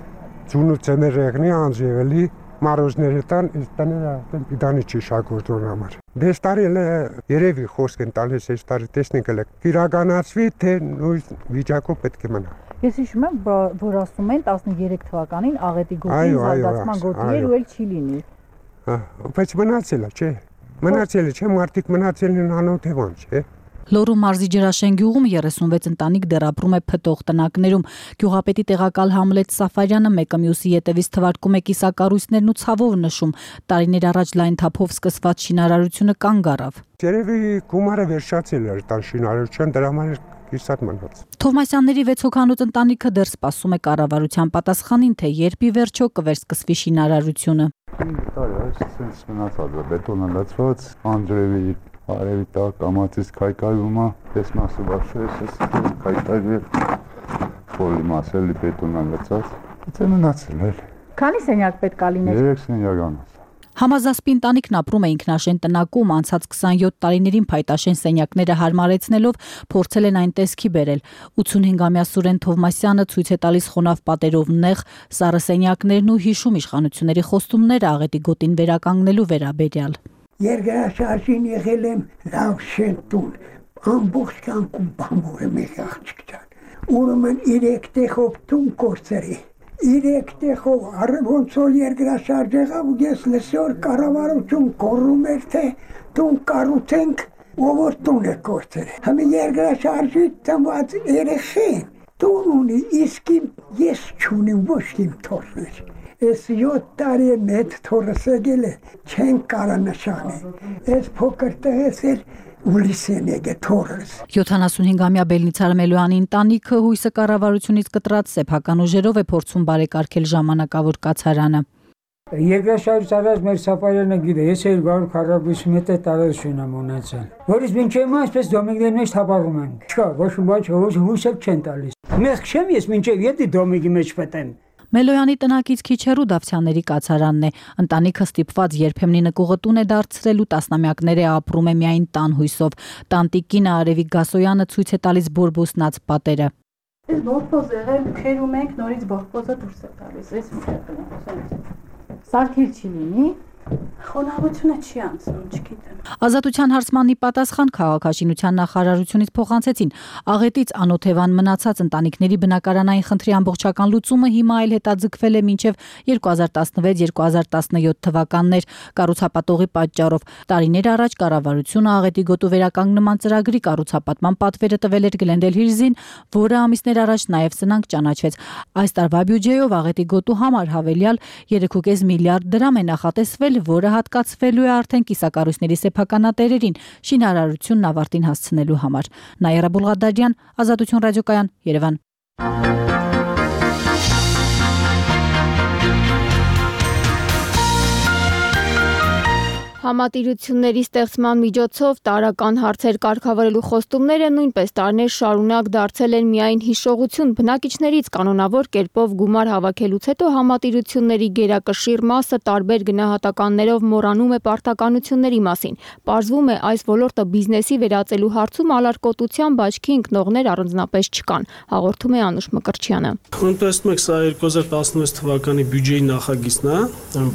[SPEAKER 21] ծունու ցեներեղնի անձևելի մարոզները տան, այս տները այդեն պիտանի չի շագործողն համար։ Դες տարի էլ երևի խոսք են տալիս, այս տարի տեսնենք էլ իրականացվի, թե նույն վիճակով պետք է մնա։
[SPEAKER 10] Ես հիշում եմ, որ ասում են տասներեք թվականին Աղետի գոտին զարգացման գոտի էր ու էլ չի լինի։
[SPEAKER 21] Հա, բայց մնացել է, չէ։ Մնացել է, չէ, մարդիկ մնացել են անօթևան, չէ։
[SPEAKER 10] Լոռու մարզի Ջրաշեն գյուղում երեսունվեց ընտանիք դեռ ապրում է փտող տնակներում։ Գյուղապետի տեղակալ Համլետ Սաֆարյանը մեկը մյուսի ետևից թվարկում է կիսակառույցներն ու ցավով նշում։ Տարիներ առաջ լայն թափով սկսված շինարարությունը կանգ առավ։
[SPEAKER 21] Երևի գումարը վերջացել էր տան շինարարության, դրա համար կիսատ մնաց։
[SPEAKER 10] Թովմասյանների վեց հոգանոց ընտանիքը դեռ սպասում է կառավարության պատասխանին, թե երբ ի վերջո կվերսկսվի շինարարությունը։
[SPEAKER 22] Տարի այս մնացած է բետոնը լցված, անջրևի Արևի տակ կամացից քայքայվում է, ես մասը բարձրես ես քայքայվել, փոլի մասելի բետոնը լցած, դա մնացել է։
[SPEAKER 10] Քանի սենյակ պետք է լիներ։
[SPEAKER 22] Երեք սենյակ անց։
[SPEAKER 10] Համազասպի ընտանիքն ապրում է ինքնաշեն տնակում, անցած քսանյոթ տարիներին փայտաշեն սենյակները հարմարեցնելով փորձել են այն տեսքի բերել։ ութսունհինգամյա Սուրեն Թովմասյանը ցույց է տալիս խոնավ պատերով նեղ սառը սենյակներն ու հիշում իշխանությունների խոստումները Աղետի գոտին վերականգնելու վերաբերյալ։
[SPEAKER 23] Երկրաշարժին եղել եմ լավ շեն տուն, ամբողջ կյանքում բամորը մեկ աղջիկ ջան։ Ուրեմն երեք տեղով տուն կորցրի, երեք տեղով ոնց որ երկրաշարժ եղավ ու ես լսոր կառավարություն կորում էր, թե տուն կառուցենք, ով որ տուն է կորցրել։ Համի երկրաշարժի ծնված երեխեն տուն ունի, իսկ ես չունեմ ոչ իմ թորներ։ Ես յոթ տարի մեծ թորս եկել է, չեն կարա նշանի։ Ես փոքր տեղես էր ուլիսեն եկե թորս։
[SPEAKER 10] յոթանասունհինգամյա Բելնիցար Մելոյանի ընտանիքը հույսը կառավարությունից կտրած սեփական ուժերով է փորձում բարեկարգել ժամանակավոր կացարանը։
[SPEAKER 2] Երկրաշարժից առաջ մեր սապարյանը գիտե, ես երկու քառակուսի մետր տարածություն եմ ունեցել, որից մինչև հիմա այսպես դոմիկների մեջ թափառում ենք։ Չկա, ոչ մի բան չէ, հույս էլ չեն տալիս։ Մեղք չեմ ես մինչև յետի դոմիկի մեջ պետեմ։
[SPEAKER 10] Մելոյանի տնակից քիչ հեռու Դավթյանների կացարանն է։ Ընտանիքը ստիպված երբեմնի նկուղը տուն է դարձրել ու տասնամյակներ է ապրում է միայն տան հույսով։ Տանտիկինը Արևիկ Գասոյանը ցույց է տալիս բորբոսնած պատերը։
[SPEAKER 3] Այս բորբոզ եղել քերում ենք, նորից բորբոզը դուրս է տալիս, այս մտքն Սարքել չի լինի, խոնավությունը չի անցնում, չգիտեմ։
[SPEAKER 10] Ազատության հարցմանի պատասխան քաղաքաշինության նախարարությունից փոխանցեցին աղետից անօթևան մնացած ընտանիքների բնակարանային խնդրի ամբողջական լուծումը հիմա այլ հետաձգվել է մինչև երկու հազար տասնվեց երկու հազար տասնյոթ թվականներ կառուցապատողի պատճառով։ Տարիներ առաջ կառավարությունը աղետի գոտու վերականգնման ծրագրի կառուցապատման պատվերը տվել էր Գլենդել Հիլզին, որը ամիսներ առաջ նաև սնանկ ճանաչվեց։ Այս տարվա բյուջեով աղետի գոտու համար հավելյալ երեք կես միլիարդ դրամ է նախատեսվել, որը հատկացվելու է արդեն կիսակառույցների սեփականատերերին շինարարությունն ավարտին հասցնելու համար։ Նաիրա Բուլղադարյան, Ազատություն ռադիոկայան, Երևան։
[SPEAKER 1] Համատիրությունների ստեղծման միջոցով տարրական հարցեր կարգավորելու խոստումները նույնպես տարիներ շարունակ դարձել են միայն հիշողություն։ Բնակիչներից կանոնավոր կերպով գումար հավաքելուց հետո համատիրությունների գերակշիռ մասը տարբեր գնահատականներով մոռանում է պարտականությունների մասին։ Պարզվում է, այս ոլորտը բիզնեսի վերածելու հարցում ալարկոտությամբ աչքի ընկնողներ առանձնապես չկան, հաղորդում է Անուշ Մկրտչյանը։
[SPEAKER 4] Տեսնում եք, սա երկու հազար տասնվեց թվականի բյուջեի նախագիծն է,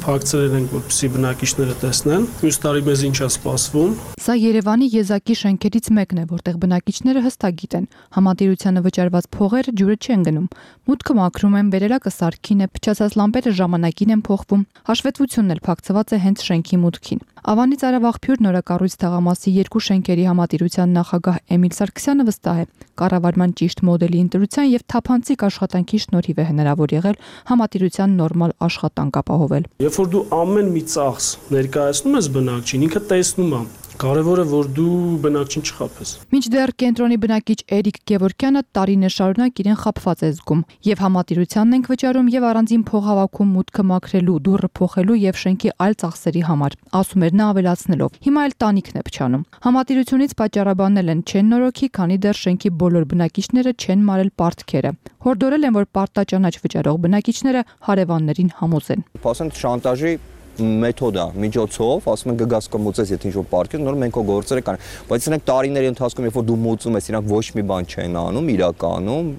[SPEAKER 4] փակցրել ենք, որպեսզի բնակիչները տեսնեն։ Մյուս տարի մեզ ինչ է սպասվում։
[SPEAKER 24] Սա Երևանի եզակի շենքերից մեկն է, որտեղ բնակիչները հստակ գիտեն, համատիրությանը վճարված փողերը ջուրը չեն գնում, մուտքը մաքրում են, վերելակը սարքին է, փչացած լամպերը ժամանակին են փոխվում, հաշվետվությունն էլ փակցված է հենց շենքի մուտքին։ Ավանի Ծարավաղբյուր նորակառույց թաղամասի երկու շենքերի համատիրության նախագահ Էմիլ Սարգսյանը վստահ է, կառավարման ճիշտ մոդելի ընտրության եւ թափանցիկ աշխատանքի շնորհիվ է հնարավոր եղել համատիրության նորմալ աշխատանք ապահովել։
[SPEAKER 4] Երբ որ դու ամեն մի ծախս ներկայացնում ես բնակչին, ինքը տեսնում է։ Կարևորը որ դու բնակչին չխաբես։
[SPEAKER 24] Մինչդեռ կենտրոնի բնակիչ Էրիկ Գևորգյանը տարիներ շարունակ իրեն խաբված է զգում, եւ համատիրությանն ենք վճարում եւ առանձին փող հավաքում մուտքը մաքրելու, դուռը փոխելու եւ շենքի այլ ծախսերի համար, ասում էր նա ավելացնելով։ Հիմա էլ տանիքն է փչանում։ Համատիրությունից պատճառաբանել են չեն նորոգի, քանի դեռ շենքի բոլոր բնակիչները չեն մարել պարտքերը։ Հորդորել են, որ պարտաճանաչ վճարող բնակիչները հարևաններին համոզեն։
[SPEAKER 25] Փասեն շանտաժի մեթոդա միջոցով, ասում են գգաս կմուծես, եթե ինչ-որ պարկես, նոր մենք քո գործերը կան, բայց ասենք տարիների ընթացքում, երբ որ դու մուծում ես, իրանք ոչ մի բան չեն անում, իրականում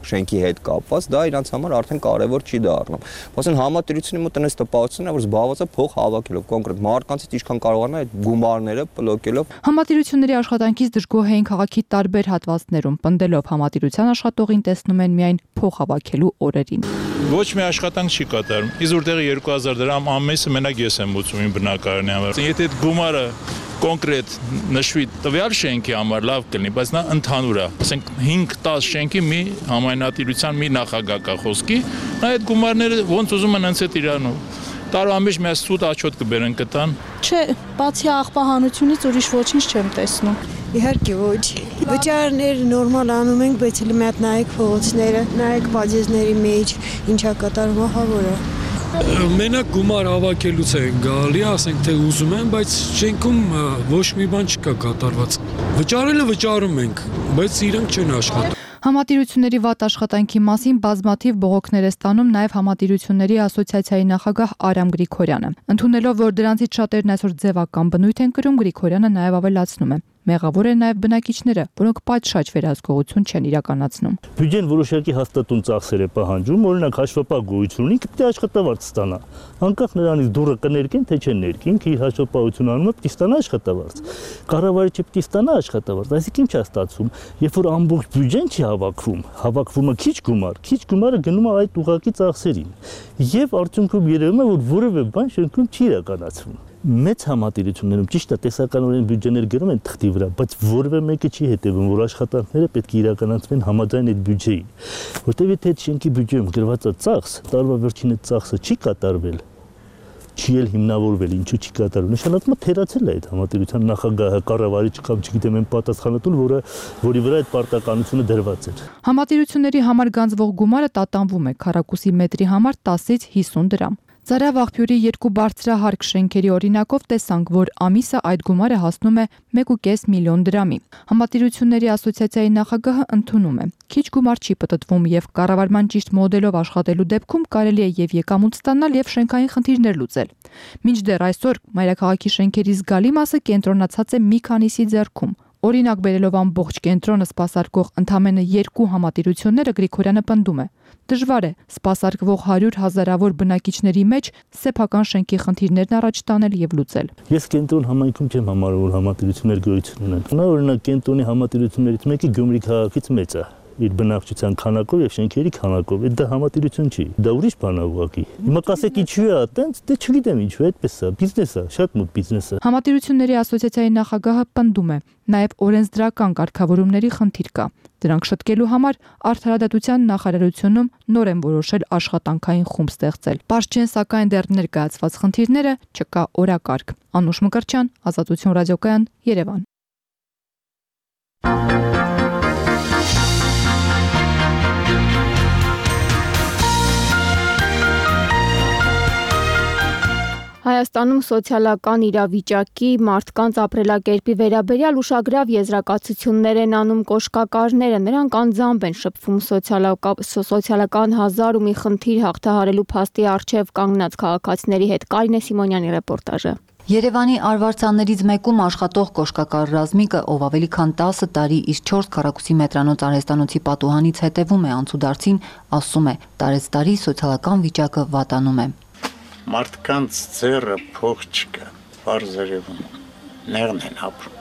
[SPEAKER 25] շենքի հետ կապված, դա իրանց համար արդեն կարևոր չի դառնում։ Ասեն համատիրությունի մոտ այնպես տպավորությունն է, որ զբաղված է փող հավաքելով, կոնկրետ մարդկանցից ինչքան կարողանա այդ գումարները պլոկելով։
[SPEAKER 24] Համատիրությունների աշխատանքից դժգոհ էին քաղաքի տարբեր հատվածներում, պնդելով համատիրության աշխատողին տեսնում են միայն փող հավաքելու օրերին։
[SPEAKER 26] Ոչ մի աշխատանք չի կատարում։ Իսկ որտեղ երկու հազար դրամ ամեսը մենակ ես եմ մուծում իմ բնակարանի համար։ Եթե այդ գումարը կոնկրետ նշվի տվյալ շենքի համար լավ կլինի, բայց նա ընդհանուր է։ Ասենք հինգ տաս շենքի մի համայնատիրության մի նախագահ կա խոսքի, նա այդ գումարները ոնց ուզում են անց այդ իրանում։ Տարվա մեջ մի սուտ աչոտ կբերեն կտան։
[SPEAKER 27] Չէ, բացի աղբահանությունից ուրիշ ոչինչ չեմ տեսնում։ Իհարկե ոչ։ Վճարները նորմալ անում ենք, բայց հենց մի հատ նայեք փողոցները, նայեք բաժեզների մեջ ինչա կատարվում, ահա որը։
[SPEAKER 4] Մենակ գումար հավաքելուց են գալի, ասենք թե ուզում են, բայց շենքում ոչ մի բան չկա կատարված։ Վճարելը վճարում ենք, բայց իրանք չեն աշխատում։
[SPEAKER 24] Համատիրությունների վատ աշխատանքի մասին բազմաթիվ բողոքներ է ստանում նաև Համատիրությունների ասոցիացիայի նախագահ Արամ Գրիգորյանը։ Ընդունելով, որ դրանցից շատերն այսօր ձևական բնույթ են կրում, Գրիգորյանը նաև ավելացնում է. Մեղավոր են նաև բնակիչները, որոնք պատշաճ վերահսկողություն չեն իրականացնում։
[SPEAKER 28] Բյուջեն որոշակի հաստատուն ծախսեր է պահանջում, օրինակ հաշվապահ գոյություն ունի, պետք է աշխատավարձ ստանա։ Անկախ նրանից դուրը կներկեն, թե չեն ներկին, իր հաշվապահություն անում է, պետք է ստանա աշխատավարձ։ Կառավարիչը պետք է ստանա աշխատավարձ, այսինքն ինչ է ստացվում, երբ որ ամբողջ բյուջեն չի հավաքվում, հավաքվում է քիչ գումար, քիչ գումարը գնում է այդ ուղղակի ծախսերին։ Եվ արդյունքում երևում է, որ որևէ բան շենքում չի իրականացվում։ Մեծ համատիրություններում ճիշտ է տեսականորեն բյուջեներ գրում են թղթի վրա, բայց որևէ մեկը չի հետևում, որ աշխատանքները պետք է իրականացվեն համաձայն այդ բյուջեի, որտեղ եթե այդ շենքի բյուջեում գրված է ծախս, տարվա վերջին այդ ծախսը չի կատարվել, չի էլ հիմնավորվել, ինչու չի կատարվել, նշանակում է թերացել է այդ համատիրության նախագահը, կառավարիչը կամ չգիտեմ այն պատասխանատուն, որը որի վրա այդ պարտականությունը դրված էր։
[SPEAKER 24] Համատիրությունների համար գանձվող գումարը տատանվում է քառակուսի մետրի համար տասից հիսուն դրամ։ Ծարավ աղբյուրի երկու բարձրահարկ շենքերի օրինակով տեսանք, որ ամիսը այդ գումարը հասնում է մեկ ու կես միլիոն դրամի։ Համատիրությունների ասոցիացիայի նախագահը ընդունում է. Քիչ գումար չի պտտվում եւ կառավարման ճիշտ մոդելով աշխատելու դեպքում կարելի է եւ եկամուտ ստանալ եւ շենքային խնդիրներ լուծել։ Մինչդեռ այսօր մայրաքաղաքի շենքերի զգալի մասը կենտրոնացած է մի քանիսի ձեռքում։ Օրինակ բերելով ամբողջ կենտրոնը սպասարկող ընդամենը երկու համատիրությունները Գրիգորյանը պնդում է. Դժվար է սպասարկվող հարյուր հազարավոր բնակիչների մեջ սեփական շենքի խնդիրներն առաջ տանել եւ լուծել։
[SPEAKER 28] Ես կենտրոն համայնքում չեմ համարում, որ համատիրություններ գոյություն ունեն։ Նա օրինակ կենտրոնի համատիրություններից մեկը Գյումրի քաղաքից մեծ է իր բնակչության քանակով եւ շենքերի քանակով, դա համատիրություն չի, դա ուրիշ բան է ուղղակի։ Հիմա կասեք ինչու է այտենց, դե չգիտեմ ինչու, այդպես է, բիզնես է, շատ մոտ բիզնես է։
[SPEAKER 24] Համատիրությունների ասոցիացիայի նախագահը պնդում է, նաեւ օրենսդրական կարգավորումների խնդիր կա։ Դրանք շտկելու համար Արդարադատության նախարարությունում նոր են որոշել աշխատանքային խումբ ստեղծել։ Պարզ չեն սակայն դեռ ներկայացված խնդիրները չկա օրակարգ։ Անուշ Մկրտչյան, Ազատություն ռադիոկայան, Երևան։
[SPEAKER 1] Հայաստանում սոցիալական իրավիճակի, մարդկանց ապրելակերպի վերաբերյալ ուշագրավ եզրակացություններ են անում կոշկակարները, նրանք անձամբ են շփվում սոցիալական հազար ու մի խնդիր հաղթահարելու փաստի առջև կանգնած քաղաքացիների հետ։ Կարինե Սիմոնյանի ռեպորտաժը։
[SPEAKER 5] Երևանի արվարձաններից մեկում աշխատող կոշկակար Ռազմիկը, ով ավելի քան տասը տարի իր չորս քառակուսի մետրանոց արհեստանոցի պատուհանից հետևում է անցուդարձին, ասում է՝ տարեցտարի սոցիալական վիճակը վատանում է։
[SPEAKER 6] Մարդկանց ձեռը փող չկա, բարձրևում, նեղն են ապրում։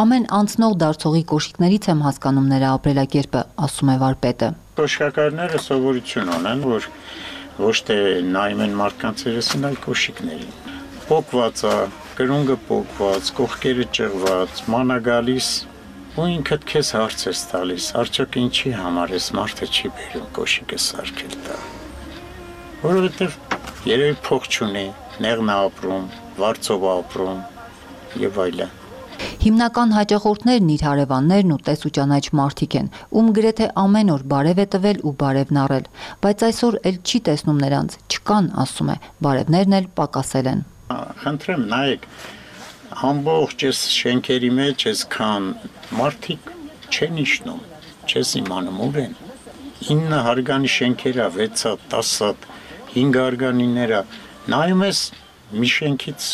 [SPEAKER 5] Ամեն անցնող դարձողի կոշիկներից եմ հասկանում նրա ապրելակերպը, ասում է վարպետը։
[SPEAKER 6] Կոշկակարները սովորություն ունեն, որ ոչ թե նայում են մարդկանց երեսին, այլ կոշիկներին։ Պոկված է, կրունգը պոկված, կողքերը ճղված, մանա գալիս, ու ինքդ քեզ հարց ես տալիս, արդյոք ինչի համար ես մարդը չի բերում կոշիկը սարքել տա։ Որովհետև երևի փող չունի, նեղն է ապրում, վարձով ապրում եւ այլն։
[SPEAKER 5] Հիմնական հաճախորդներն իր հարևաններն ու տեսուճանաչ մարդիկ են, ում գրեթե ամեն օր բարև է տվել ու բարևն առել, բայց այսօր էլ չի տեսնում նրանց, չկան, ասում է, բարևներն էլ պակասել են։
[SPEAKER 6] Խնդրեմ, նայեք, ամբողջ այս շենքերի մեջ այսքան մարդիկ չեն իջնում, չես իմանում ուր են։ ինը հարգանի շենքերա, վեց հատ, տաս հատ, հինգ հարգանիներա, նայում ես մի շենքից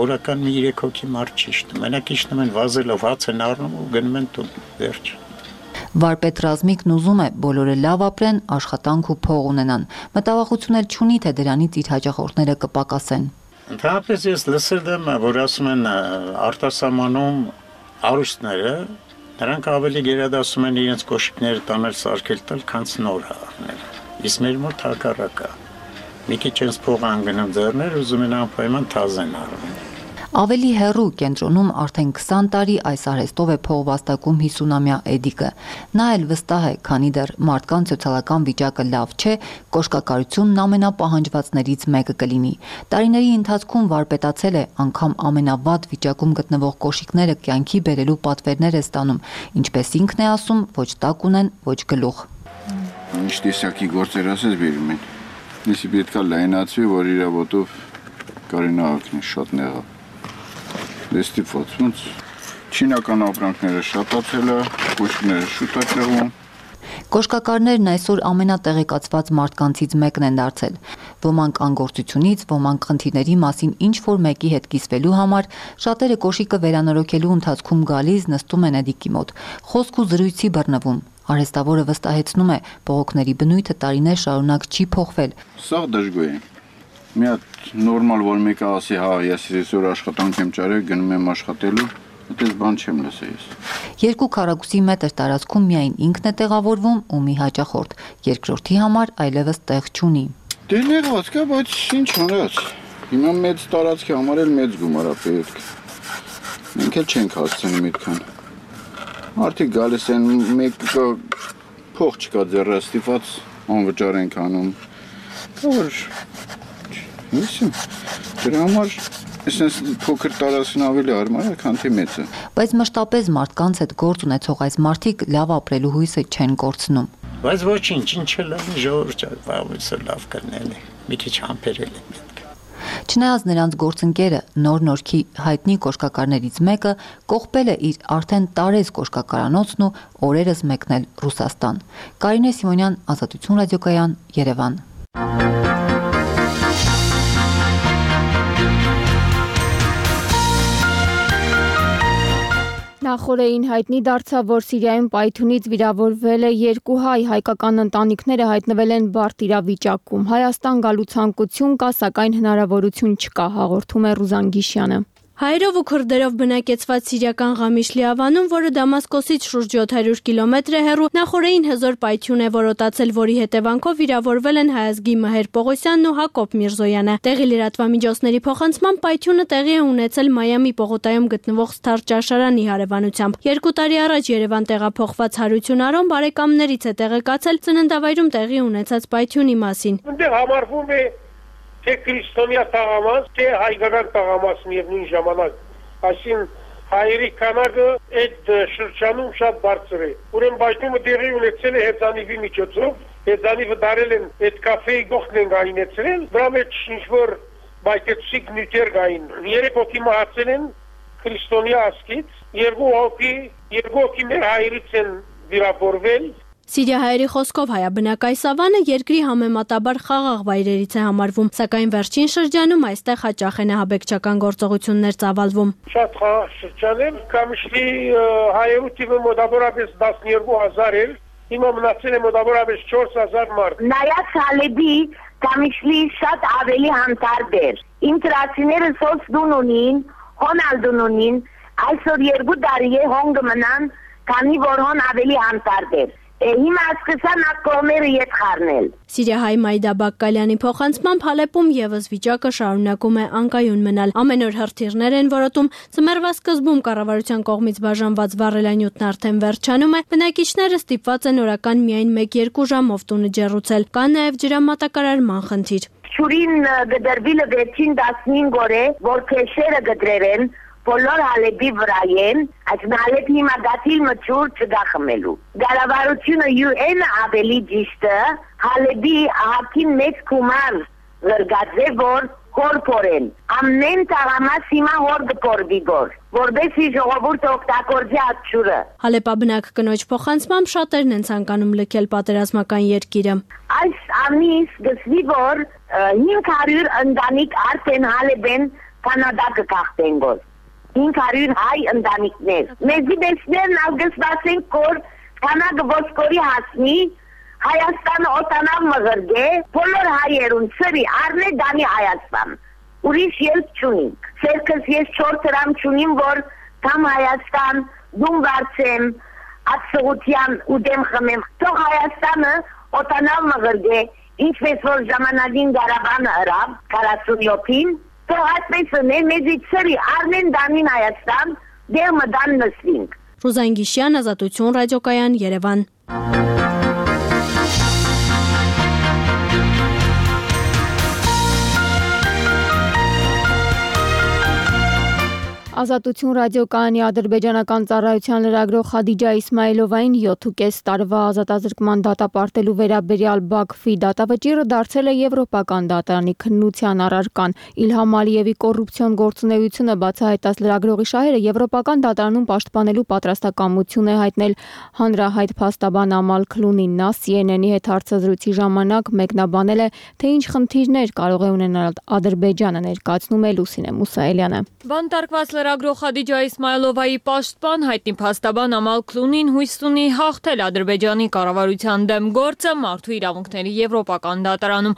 [SPEAKER 6] օրական մի երեք հոգի մարդ չի իջնում, մենակ իջնում են վազելով, հաց են առնում ու գնում են տուն, վերջ։
[SPEAKER 5] Վարպետ Ռազմիկն ուզում է բոլորը լավ ապրեն, աշխատանք ու փող ունենան, մտավախություն էլ չունի, թե դրանից իր հաճախորդները կպակասեն։
[SPEAKER 6] Ընդհանրապես ես լսել եմ, որ ասում են արտասահմանում արուստները, նրանք ավելի գերադասում են իրենց կոշիկները տանել սարքել տալ, քան նոր առնել։ Իսկ մեր մոտ հակառակը։ Մի քիչ ens փող անգնում ձեռներ, ուզում են անպայման թազեն առնել։
[SPEAKER 5] Ավելի հեռու կենտրոնում արդեն քսան տարի այս արհեստով է փող վաստակում հիսունամյա Էդիկը։ Նա էլ վստահ է, քանի դեռ մարդկանց սոցիալական վիճակը լավ չէ, կոշկակարությունն ամենապահանջվածներից մեկը կլինի։ Տարիների ընթացքում վարպետացել է, անգամ ամենավատ վիճակում գտնվող կոշիկները կյանքի բերելու պատվերներ է ստանում, ինչպես ինքն է ասում, ոչ տակ ունեն, ոչ գլուխ։
[SPEAKER 7] Ինչ տեսակի գործեր ասես բերում են։ Դեսի պետք է լայնացվի, որ իր ոտով կարենա ակնի շատ նեղա։ Դες տիպված, ոնց չինական ապրանքները շատացել է, կոշիկները շուտ է տեղում։
[SPEAKER 5] Կոշկակարներն այսօր ամենատեղեկացված մարդկանցից մեկն են դարձել։ Ոմանք անգործությունից, ոմանք խնդիրների մասին ինչ-որ մեկի հետ կիսվելու համար, շատերը կոշիկը վերանորոգելու ընթացքում գալիս նստում են Էդիկի մոտ, խոսք ու զրույցի բռնվում։ Արհեստավորը վստահեցնում է, բողոքների բնույթը տարիներ շարունակ չի փոխվել։
[SPEAKER 7] Սա դժգոհ է։ Մի հատ նորմալ որ մեկը ասի, հա, ես այսօր աշխատանք եմ ճարել, գնում եմ աշխատելու, այդպես բան չեմ լսել ես։
[SPEAKER 5] Երկու քառակուսի մետր տարածքում միայն ինքն է տեղավորվում ու մի հաճախորդ, երկրորդի համար այլևս տեղ չունի։
[SPEAKER 7] Դե նեղված կա, բայց ինչ անես։ Հիմա մեծ տարածքի համար էլ մեծ գումար է պետք։ Մենք էլ չենք հասցնում այդքան։ Մարդիկ գալիս են, մեկը փող չկա ձեռը ստիպված անվճար ենք անում։ Որ Իսու, դրա համար այսպես փոքր տարածքն ավելի արմար է, քան թե մեծը։
[SPEAKER 5] Բայց մշտապես մարդկանց հետ գործ ունեցող այս մարդիկ լավ ապրելու հույսը չեն կորցնում։
[SPEAKER 6] Բայց ոչինչ, ինչ էլ է ժողովուրդը բավականին լավ կնել է, մի քիչ համբերել է պետք։
[SPEAKER 5] Չնայած նրանց գործընկերը նոր նորքի հայտնի կոշկակարներից մեկը կողպել է իր արդեն տարեց կոշկակարանոցն ու օրերս մեկնել Ռուսաստան։ Կարինե Սիմոնյան, Ազատություն ռադիոկայան, Երևան։
[SPEAKER 1] Նախորդին հայտնի դարձավ, որ Սիրիայում պայթյունից վիրավորվել է երկու հայ, հայկական ընտանիքները հայտնվել են բարդ իրավիճակում։ Հայաստան գալու ցանկություն կա, սակայն հնարավորություն չկա, հաղորդում է Ռուզան Գիշյանը։
[SPEAKER 8] Հայերով ու քրդերով բնակեցված սիրիական Ղամիշլի ավանում, որը Դամասկոսից շուրջ յոթ հարյուր կիլոմետր է հեռու, նախորդին հզոր պայթյուն է որոտացել, որի հետևանքով վիրավորվել են Հայազգի Մհեր Պողոսյանն ու Հակոբ Միրզոյանը։ Տեղի լրատվամիջոցների փոխանցմամբ պայթյունը տեղի է ունեցել Մայամի պողոտայում գտնվող Սթար ճաշարանի հարևանությամբ։ Երկու տարի առաջ Երևան տեղափոխված Հարություն Արոն բարեկամներից է տեղեկացել ծննդավայրում տեղի ունեցած պայթյունի մասին։
[SPEAKER 9] Այնտեղ համարվում է թե քրիստոնյա տաղամաս, թե հայկական տաղամաս միևնույն ժամանակ, այսին հայերի քանակը այդ շրջանում շատ բարձր է։ Ուրեմն պայթյունը տեղի ունեցել է հեծանիվի միջոցով, հեծանիվը դարել են այդ կաֆեի գողքն են գայնեցրել, դրա մեջ ինչ-որ բայկեցիկ նյութեր գային։ Երեք հոգի մահացել են քրիստոնյա ասկից, երկու հոգի, երկու հոգի մեր հայերից են վիրավորվել։
[SPEAKER 8] Սիրիահայերի խոսքով հայաբնակ այս ավանը երկրի համեմատաբար խաղաղ վայրերից է համարվում, սակայն վերջին շրջանում այստեղ հաճախ են ահաբեկչական գործողություններ ծավալվում։
[SPEAKER 9] Շատ խաղաղ շրջան է, Ղամիշլի հայերու թիվը մոտավորապես տասնյոթ հազար էր, հիմա մնացել է մոտավորապես չորս հազար մարդ։
[SPEAKER 11] Նայած Հալեբի Ղամիշլի շատ ավելի հանդարտ էր։ Իմ տրասիները սոց դուն ունին, հոն ալդուն ունին, այսօր երկու տարի է հոնգը մնան, քանի որ հոն ավելի հանդարտ էր։ Հիմա սկսան ակողմերը ետ խառնել։
[SPEAKER 8] Սիրիահայ Մայդա Բակկալյանի փոխանցմամբ Հալեպում եւս վիճակը շարունակում է անկայուն մնալ։ Ամեն օր հրթիռներ են որոտում, ծմերվա սկզբում կառավարության կողմից բաժանված վառելանյութն արդեն վերջանում է, բնակիչները ստիպված են օրական միայն մեկ-երկու ժամով տունը ջեռուցել։ Կա նաեւ ջրամատակարարման խնդիր։
[SPEAKER 11] Շուրին գդրվիլը վերջին տասնհինգ օր է, որ քեշերը գդրել բոլոր Հալեբի վրա են, այս Հալեբի հիմա գաթիլ մջուր չգա խմելու։ Գարավարությունը յու են ավելի ճիշտը, Հալեբի ահակին մեծ կումար զրգած է, որ հորպորեն։ Ամեն տաղամաս հիմա հոր գպորվի գոր, որբեսի ժողովուրդը օգտագործի ատչուրը։
[SPEAKER 8] Հալեպաբնակ կնոջ փոխանցմամբ շատերն են ցանկանում լքել պատերազմական երկիրը։
[SPEAKER 11] Այս ամիս գսվի, որ հինգ հարյուր ընտանիք արդեն Հալեբեն Կանադա կգաղթեն գոր։ հինգ հարյուր հայ ընտանիքներ։ Մեզի դեսներն ալգսվացեն կոր կանագը ոսկորի հասնի, Հայաստանը օտանավ մղրգե, բոլոր հայերուն ծրի արնե դանի Հայաստան։ Ուրիշ ելք չունինք։ Սերքս ես չոր տրամ չունիմ, որ կամ Հայաստան դում վարձեմ, ատսողության ու դեմ խմեմ։ Թող Հայաստանը օտանավ մղրգե, ինչպես որ ժամանակին Գարաբանը հրավ, քառասունյոթին, թող այդպես է, մեզի ծրի արնեն դանին Հայաստան, դեղ մդան նսվինք։
[SPEAKER 8] Ռուզան Գիշյան, Ազատություն ռադիոկայան, Երևան։
[SPEAKER 1] Ազատություն ռադիոկայանի ադրբեջանական ծառայության լրագրող Խադիջա Իսմայելովային յոթ տարվա ազատազրկման դատապարտելու վերաբերյալ Բաքվի դատավճիռը դարձել է եվրոպական դատարանի քննության առարկան։ Իլհամ Ալիևի կոռուպցիոն գործունեությունը բացահայտած լրագրողի շահերը եվրոպական դատարանում պաշտպանելու պատրաստակամություն է հայտնել հանրահայտ փաստաբան Ամալ Քլունին։ Նա Սի Էն Էն-ի հետ հարցազրույցի ժամանակ մեկնաբանել է, թե ինչ խնդիրներ կարող է ունենալ Ադրբեջանը, ներկայացնում է Լուսինե Մուսայելյանը։
[SPEAKER 12] Բանտարկված
[SPEAKER 1] լրագրող Խադիջա Իսմայլովայի պաշտպան հայտնի փաստաբան Ամալ Քլունին հույս ունի հաղթել Ադրբեջանի կառավարության դեմ գործը մարդու իրավունքների եվրոպական դատարանում։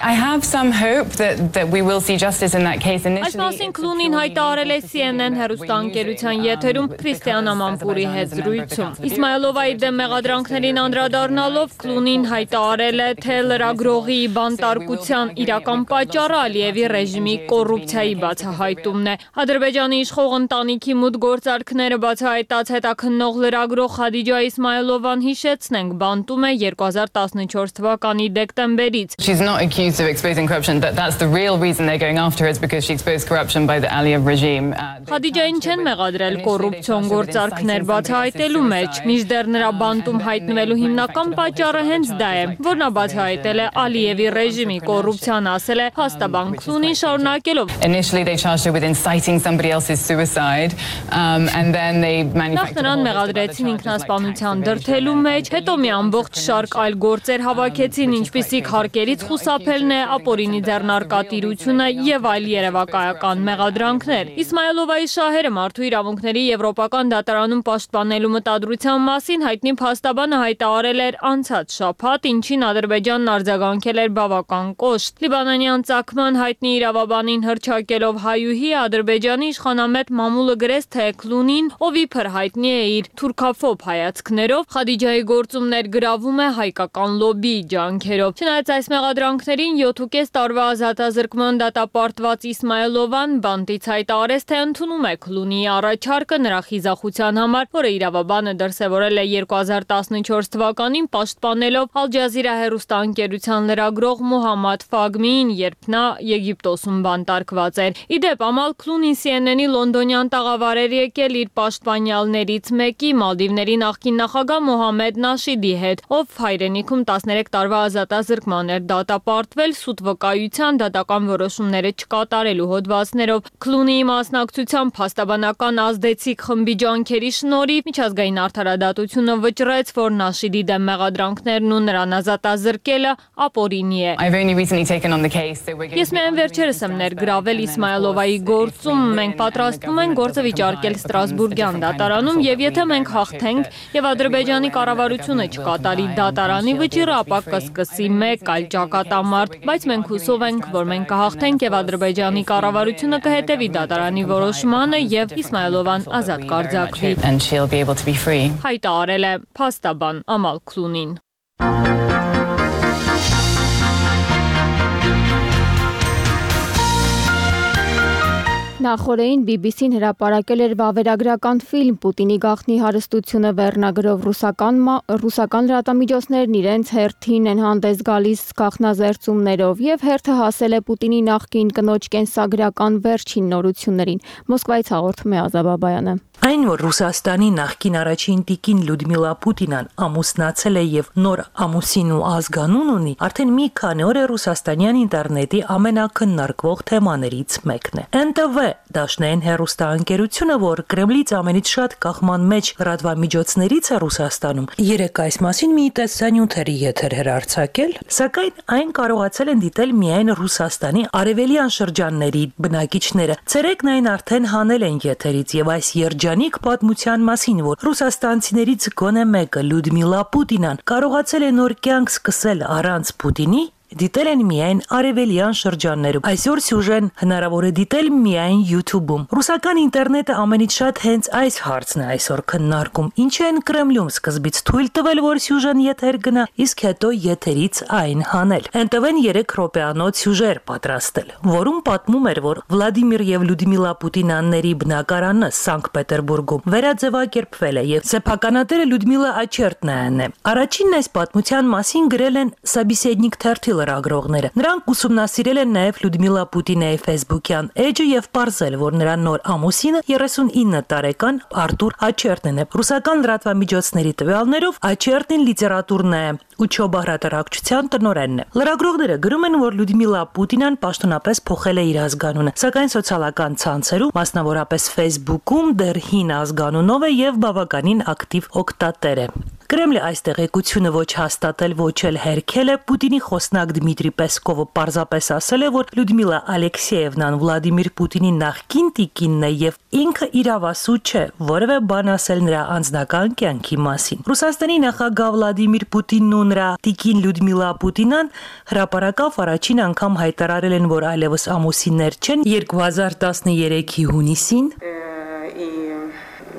[SPEAKER 1] Այս մասին Քլունին հայտարարել է C N N հեռուստաընկերության եթերում Քրիստիան Ամանպուրի հետ զրույցում։ Իսմայլովայի դեմ մեղադրանքներին անդրադառնալով Քլունին հայտարարել է, թե լրագրողի բանտարկության իրական պատճառը Ալիևի ռեժիմի կոռուպցիայի բացահայտումն է։ Ադրբեջանի իշխող ընտանիքի մուտք գործարքները բացահայտած հետաքննող լրագրող Խադիջա Իսմայլովան հիշեցնենք բանտում է երկու հազար տասնչորս թվականի դեկտեմբերից։
[SPEAKER 12] She's not accused of exposing corruption. That that's the real reason they're going after her is because she exposed corruption by the Aliyev regime.
[SPEAKER 1] Խադիջային չեն մեղադրել կոռուպցիոն գործարքներ բացահայտելու մեջ, մինչդեռ նրա բանտում հայտնվելու հիմնական պատճառը հենց դա է, որ նա բացահայտել է Ալիևի ռեժիմի կոռուպցիան, ասել է փաստաբան Քլունին շարունակելով։
[SPEAKER 12] Initially they charged her with inciting somebody else's suicide um and then they
[SPEAKER 1] Նախ նրան մեղադրեցին ինքնասպանության դրդելու մեջ, հետո մի ամբողջ շարք այլ գործեր հավաքեցին, ինչպիսիք հարկերից խուսափելն է, ապօրինի ձեռնարկատիրությունը եւ այլ երևակայական մեղադրանքներ։ Իսմայլովայի շահերը մարդու իրավունքների եվրոպական դատարանում պաշտպանելու մտադրության մասին հայտնի փաստաբանը հայտարարել էր անցած շաբաթ, ինչին Ադրբեջանն արձագանքել էր բավական կոշտ։ Լիբանանյան ցակման հայտնի իրավաբանին հրճակելով հայուհի Ադրբեջանի իշխանամետ մամուլը գրեց, թե Քլունին, ով իբր հայտնի է իր թուրքաֆոբ հայացքներով, Խադիջայի գործումներ գրավում է հայկական լոբբիի ջանքերով։ Չնայած այս մեղադրանքներին յոթ ու կես տարվա ազատազրկման դատապարտված Իսմայլովան բանտից հայտարարեց, թե ընդունում է Քլունիի առաջարկը նրա խիզախության համար, որը իրավաբանը դրսևորել է երկու հազար տասնչորս թվականին պաշտպանելով Ալ Ջազիրա հեռուստաընկերության լրագրող Մուհամմադ Ֆագմիին, երբ նա Եգիպտոսում բանտարկված էր։ Իդեպ Ամալ Քլունին C N N-ի լոնդոնյան տաղավար էր եկել իր պաշտպանյալներից մեկի Մալդիվների նախկին նախագահ Մոհամեդ Նաշիդի հետ, ով հայրենիքում տասներեք տարվա ազատազրկման էր դատապարտվել սուտ վկայության դատական որոշումները չկատարելու հոդվածներով։ Քլունիի մասնակցությամբ փաստաբանական ազդեցիկ խմբի ջանքերի շնորհիվ միջազգային արդարադատությունը վճռեց, որ Նաշիդի դեմ մեղադրանքներն ու նրան ազատազրկելը ապօրինի է։ Ես միայն վերջերս եմ ներգրավել Իսմայլովայի գործում, մենք պատրաստվում ենք գործը վիճարկել Ստրասբուրգյան դատարանում եւ եթե մենք հաղթենք եւ Ադրբեջանի կառավարությունը չկատարի դատարանի վճիռը, ապա կսկսի մեկ այլ ճակատամարտ, բայց մենք հուսով ենք, որ մենք կհաղթենք եւ Ադրբեջանի կառավարությունը կհետեւի դատարանի որոշմանը եւ Իսմայլովան ազատ կարձակվի։ Հայտարարել է փաստաբան Ամալ Քլունին։ Նախորդին B B C-ն հրապարակել էր վավերագրական ֆիլմ Պուտինի գաղտնի հարստությունը վերնագրով ռուսական ռուսական լրատվամիջոցներն իրենց հերթին են հանդես գալիս գաղտնազերծումներով եւ հերթը հասել է Պուտինի նախկին կնոջ կենսագրական վերջին նորություններին։ Մոսկվայից հաղորդում է Ազա Բաբայանը։
[SPEAKER 13] Այն, որ Ռուսաստանի նախկին առաջին տիկին Լյուդմիլա Պուտինան ամուսնացել է եւ նոր ամուսին ու ազգանուն ունի, արդեն մի քանի օր է ռուսաստանյան ինտերնետի ամենակննարկվող թեմաներից մեկն է։ N T V դաշնային հեռուստաընկերությունը, որ Կրեմլից ամենից շատ կախման մեջ լրատվամիջոցներից է Ռուսաստանում, երեք այս մասին մի տեսանյութերի եթեր հեռարձակել, սակայն այն կարողացել են դիտել միայն Ռուսաստանի արևելյան շրջանների բնակիչները։ Ցերեկն այն արդեն հանել են եթերից եւ այս երջանիկ պատմության մասին, որ ռուսաստանցիներից գոնե մեկը Լյուդմիլա Պուտինան կարողացել է նոր կյանք սկսել առանց Պուտինի, դիտել են միայն արևելյան շրջաններում։ Այսօր սյուժեն հնարավոր է դիտել միայն YouTube-ում։ Ռուսական ինտերնետը ամենից շատ հենց այս հարցն է այսօր քննարկում։ Ինչ են Կրեմլում սկզբից թույլ տվել, որ սյուժեն եթեր գնա, իսկ հետո եթերից այն հանել։ N T V-ն երեք րոպեանոց սյուժեր պատրաստել, որում պատմում էր, որ Վլադիմիր եւ Լյուդմիլա Պուտինյանների բնակարանը Սանկտ Պետերբուրգում վերաձևակերպվել է եւ սեփականատերը Լյուդմիլա Աչերտնայանն է։ Առաջինն այս պատմության մասին գրել են Սաբիսեդնիկ թերթի լրագրողները։ Նրանք ուսումնասիրել են նաև Լյուդմիլա Պուտինայի Facebook-յան էջը եւ պարզել, որ նրա նոր ամուսինը երեսունինը տարեկան Արտուր Աչերտնն է։ Ռուսական լրատվամիջոցների տվյալներով Աչերտնին լիտերատուրնա է Ուչոբա հրատարակչության տնօրենն է։ Լրագրողները գրում են, որ Լյուդմիլա Պուտինան պաշտոնապես փոխել է իր ազգանունը, սակայն սոցիալական ցանցերում, մասնավորապես Facebook-ում, դեռ հին ազգանունով է եւ բավականին ակտիվ օգտատեր է։ Կրեմլը այս տեղեկությունը ոչ հաստատել, ոչ էլ հերքել է, Պուտինի խոսնակ Դմիտրի Պեսկովը պարզապես ասել է, որ Լյուդմիլա Ալեքսեևնան Վլադիմիր Պուտինի նախկին տիկինն է եւ ինքը իրավասու չէ, որևէ բան ասել նրա անձնական կյանքի մասին։ Ռուսաստանի նախագահ Վլադիմիր Պուտինն ու նրա տիկին Լյուդմիլա Պուտինան հրապարակավ առաջին անգամ հայտարարել են, որ այլևս ամուսիններ չեն երկու հազար տասներեքի հունիսին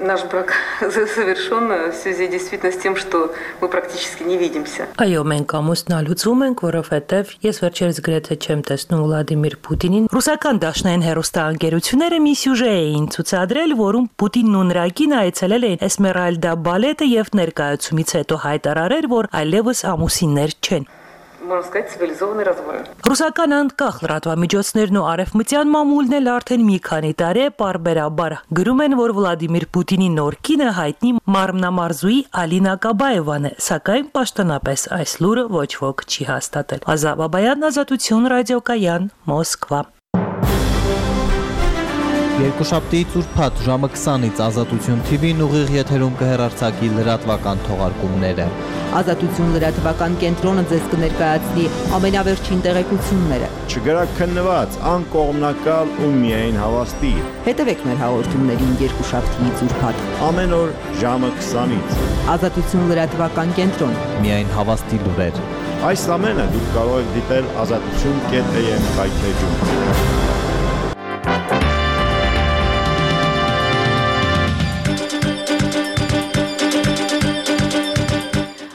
[SPEAKER 14] Наш брак завершен в связи действительно с тем, что мы практически не видимся.
[SPEAKER 13] Այո, մենք ամուսնալուծում ենք, որովհետև ես վերջերս գրեթե չեմ տեսնում Վլադիմիր Պուտինին։ Ռուսական դաշնային հեռուստաընկերությունները մի սյուժե էին ցուցադրել, որում Պուտինն ու նրա կինը այցելել էին Էսմերալդա բալետը եւ ներկայացումից հետո հայտարարել, որ այլևս ամուսիններ չեն։
[SPEAKER 14] Можно сказать, цивилизованный развод.
[SPEAKER 13] Ռուսական անկախ լրատվամիջոցներն ու արևմտյան մամուլն էլ արդեն մի քանի տարի պարբերաբար գրում են, որ Վլադիմիր Պուտինի նոր կինը հայտնի մարմնամարզուի Ալինա Կաբաևան է, սակայն պաշտոնապես այս լուրը ոչ ոք չի հաստատել։ Ազա Բաբայան, Ազատություն, ռադիոկայան, Մոսկվա։
[SPEAKER 15] Երկուշաբթիից ուրբաթ ժամը քսանից Ազատություն թի վին ուղիղ եթերում կհեռարձակի լրատվական թողարկումները։
[SPEAKER 16] Ազատություն լրատվական կենտրոնը ձեզ կներկայացնի ամենավերջին տեղեկությունները։
[SPEAKER 17] Չգրակ քննված, անկողմնակալ ու միայն հավաստի։
[SPEAKER 16] Հետևեք մեր հաղորդումներին երկուշաբթիից ուրբաթ։
[SPEAKER 17] Ամեն օր ժամը քսանից։
[SPEAKER 16] Ազատություն լրատվական կենտրոն։
[SPEAKER 15] Միայն հավաստի լուրեր։
[SPEAKER 17] Այս ամենը դուք կարող եք դիտել ազատություն կետ էյ էմ կայքեջում։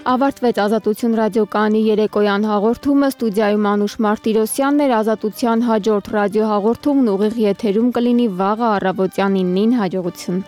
[SPEAKER 1] Ավարտվեց Ազատություն ռադիոկայանի երեկոյան հաղորդումը, ստուդիայում Անուշ Մարտիրոսյանն էր, Ազատության հաջորդ ռադիոհաղորդումն ուղիղ եթերում կլինի վաղը առավոտյան իննին, հաջողություն։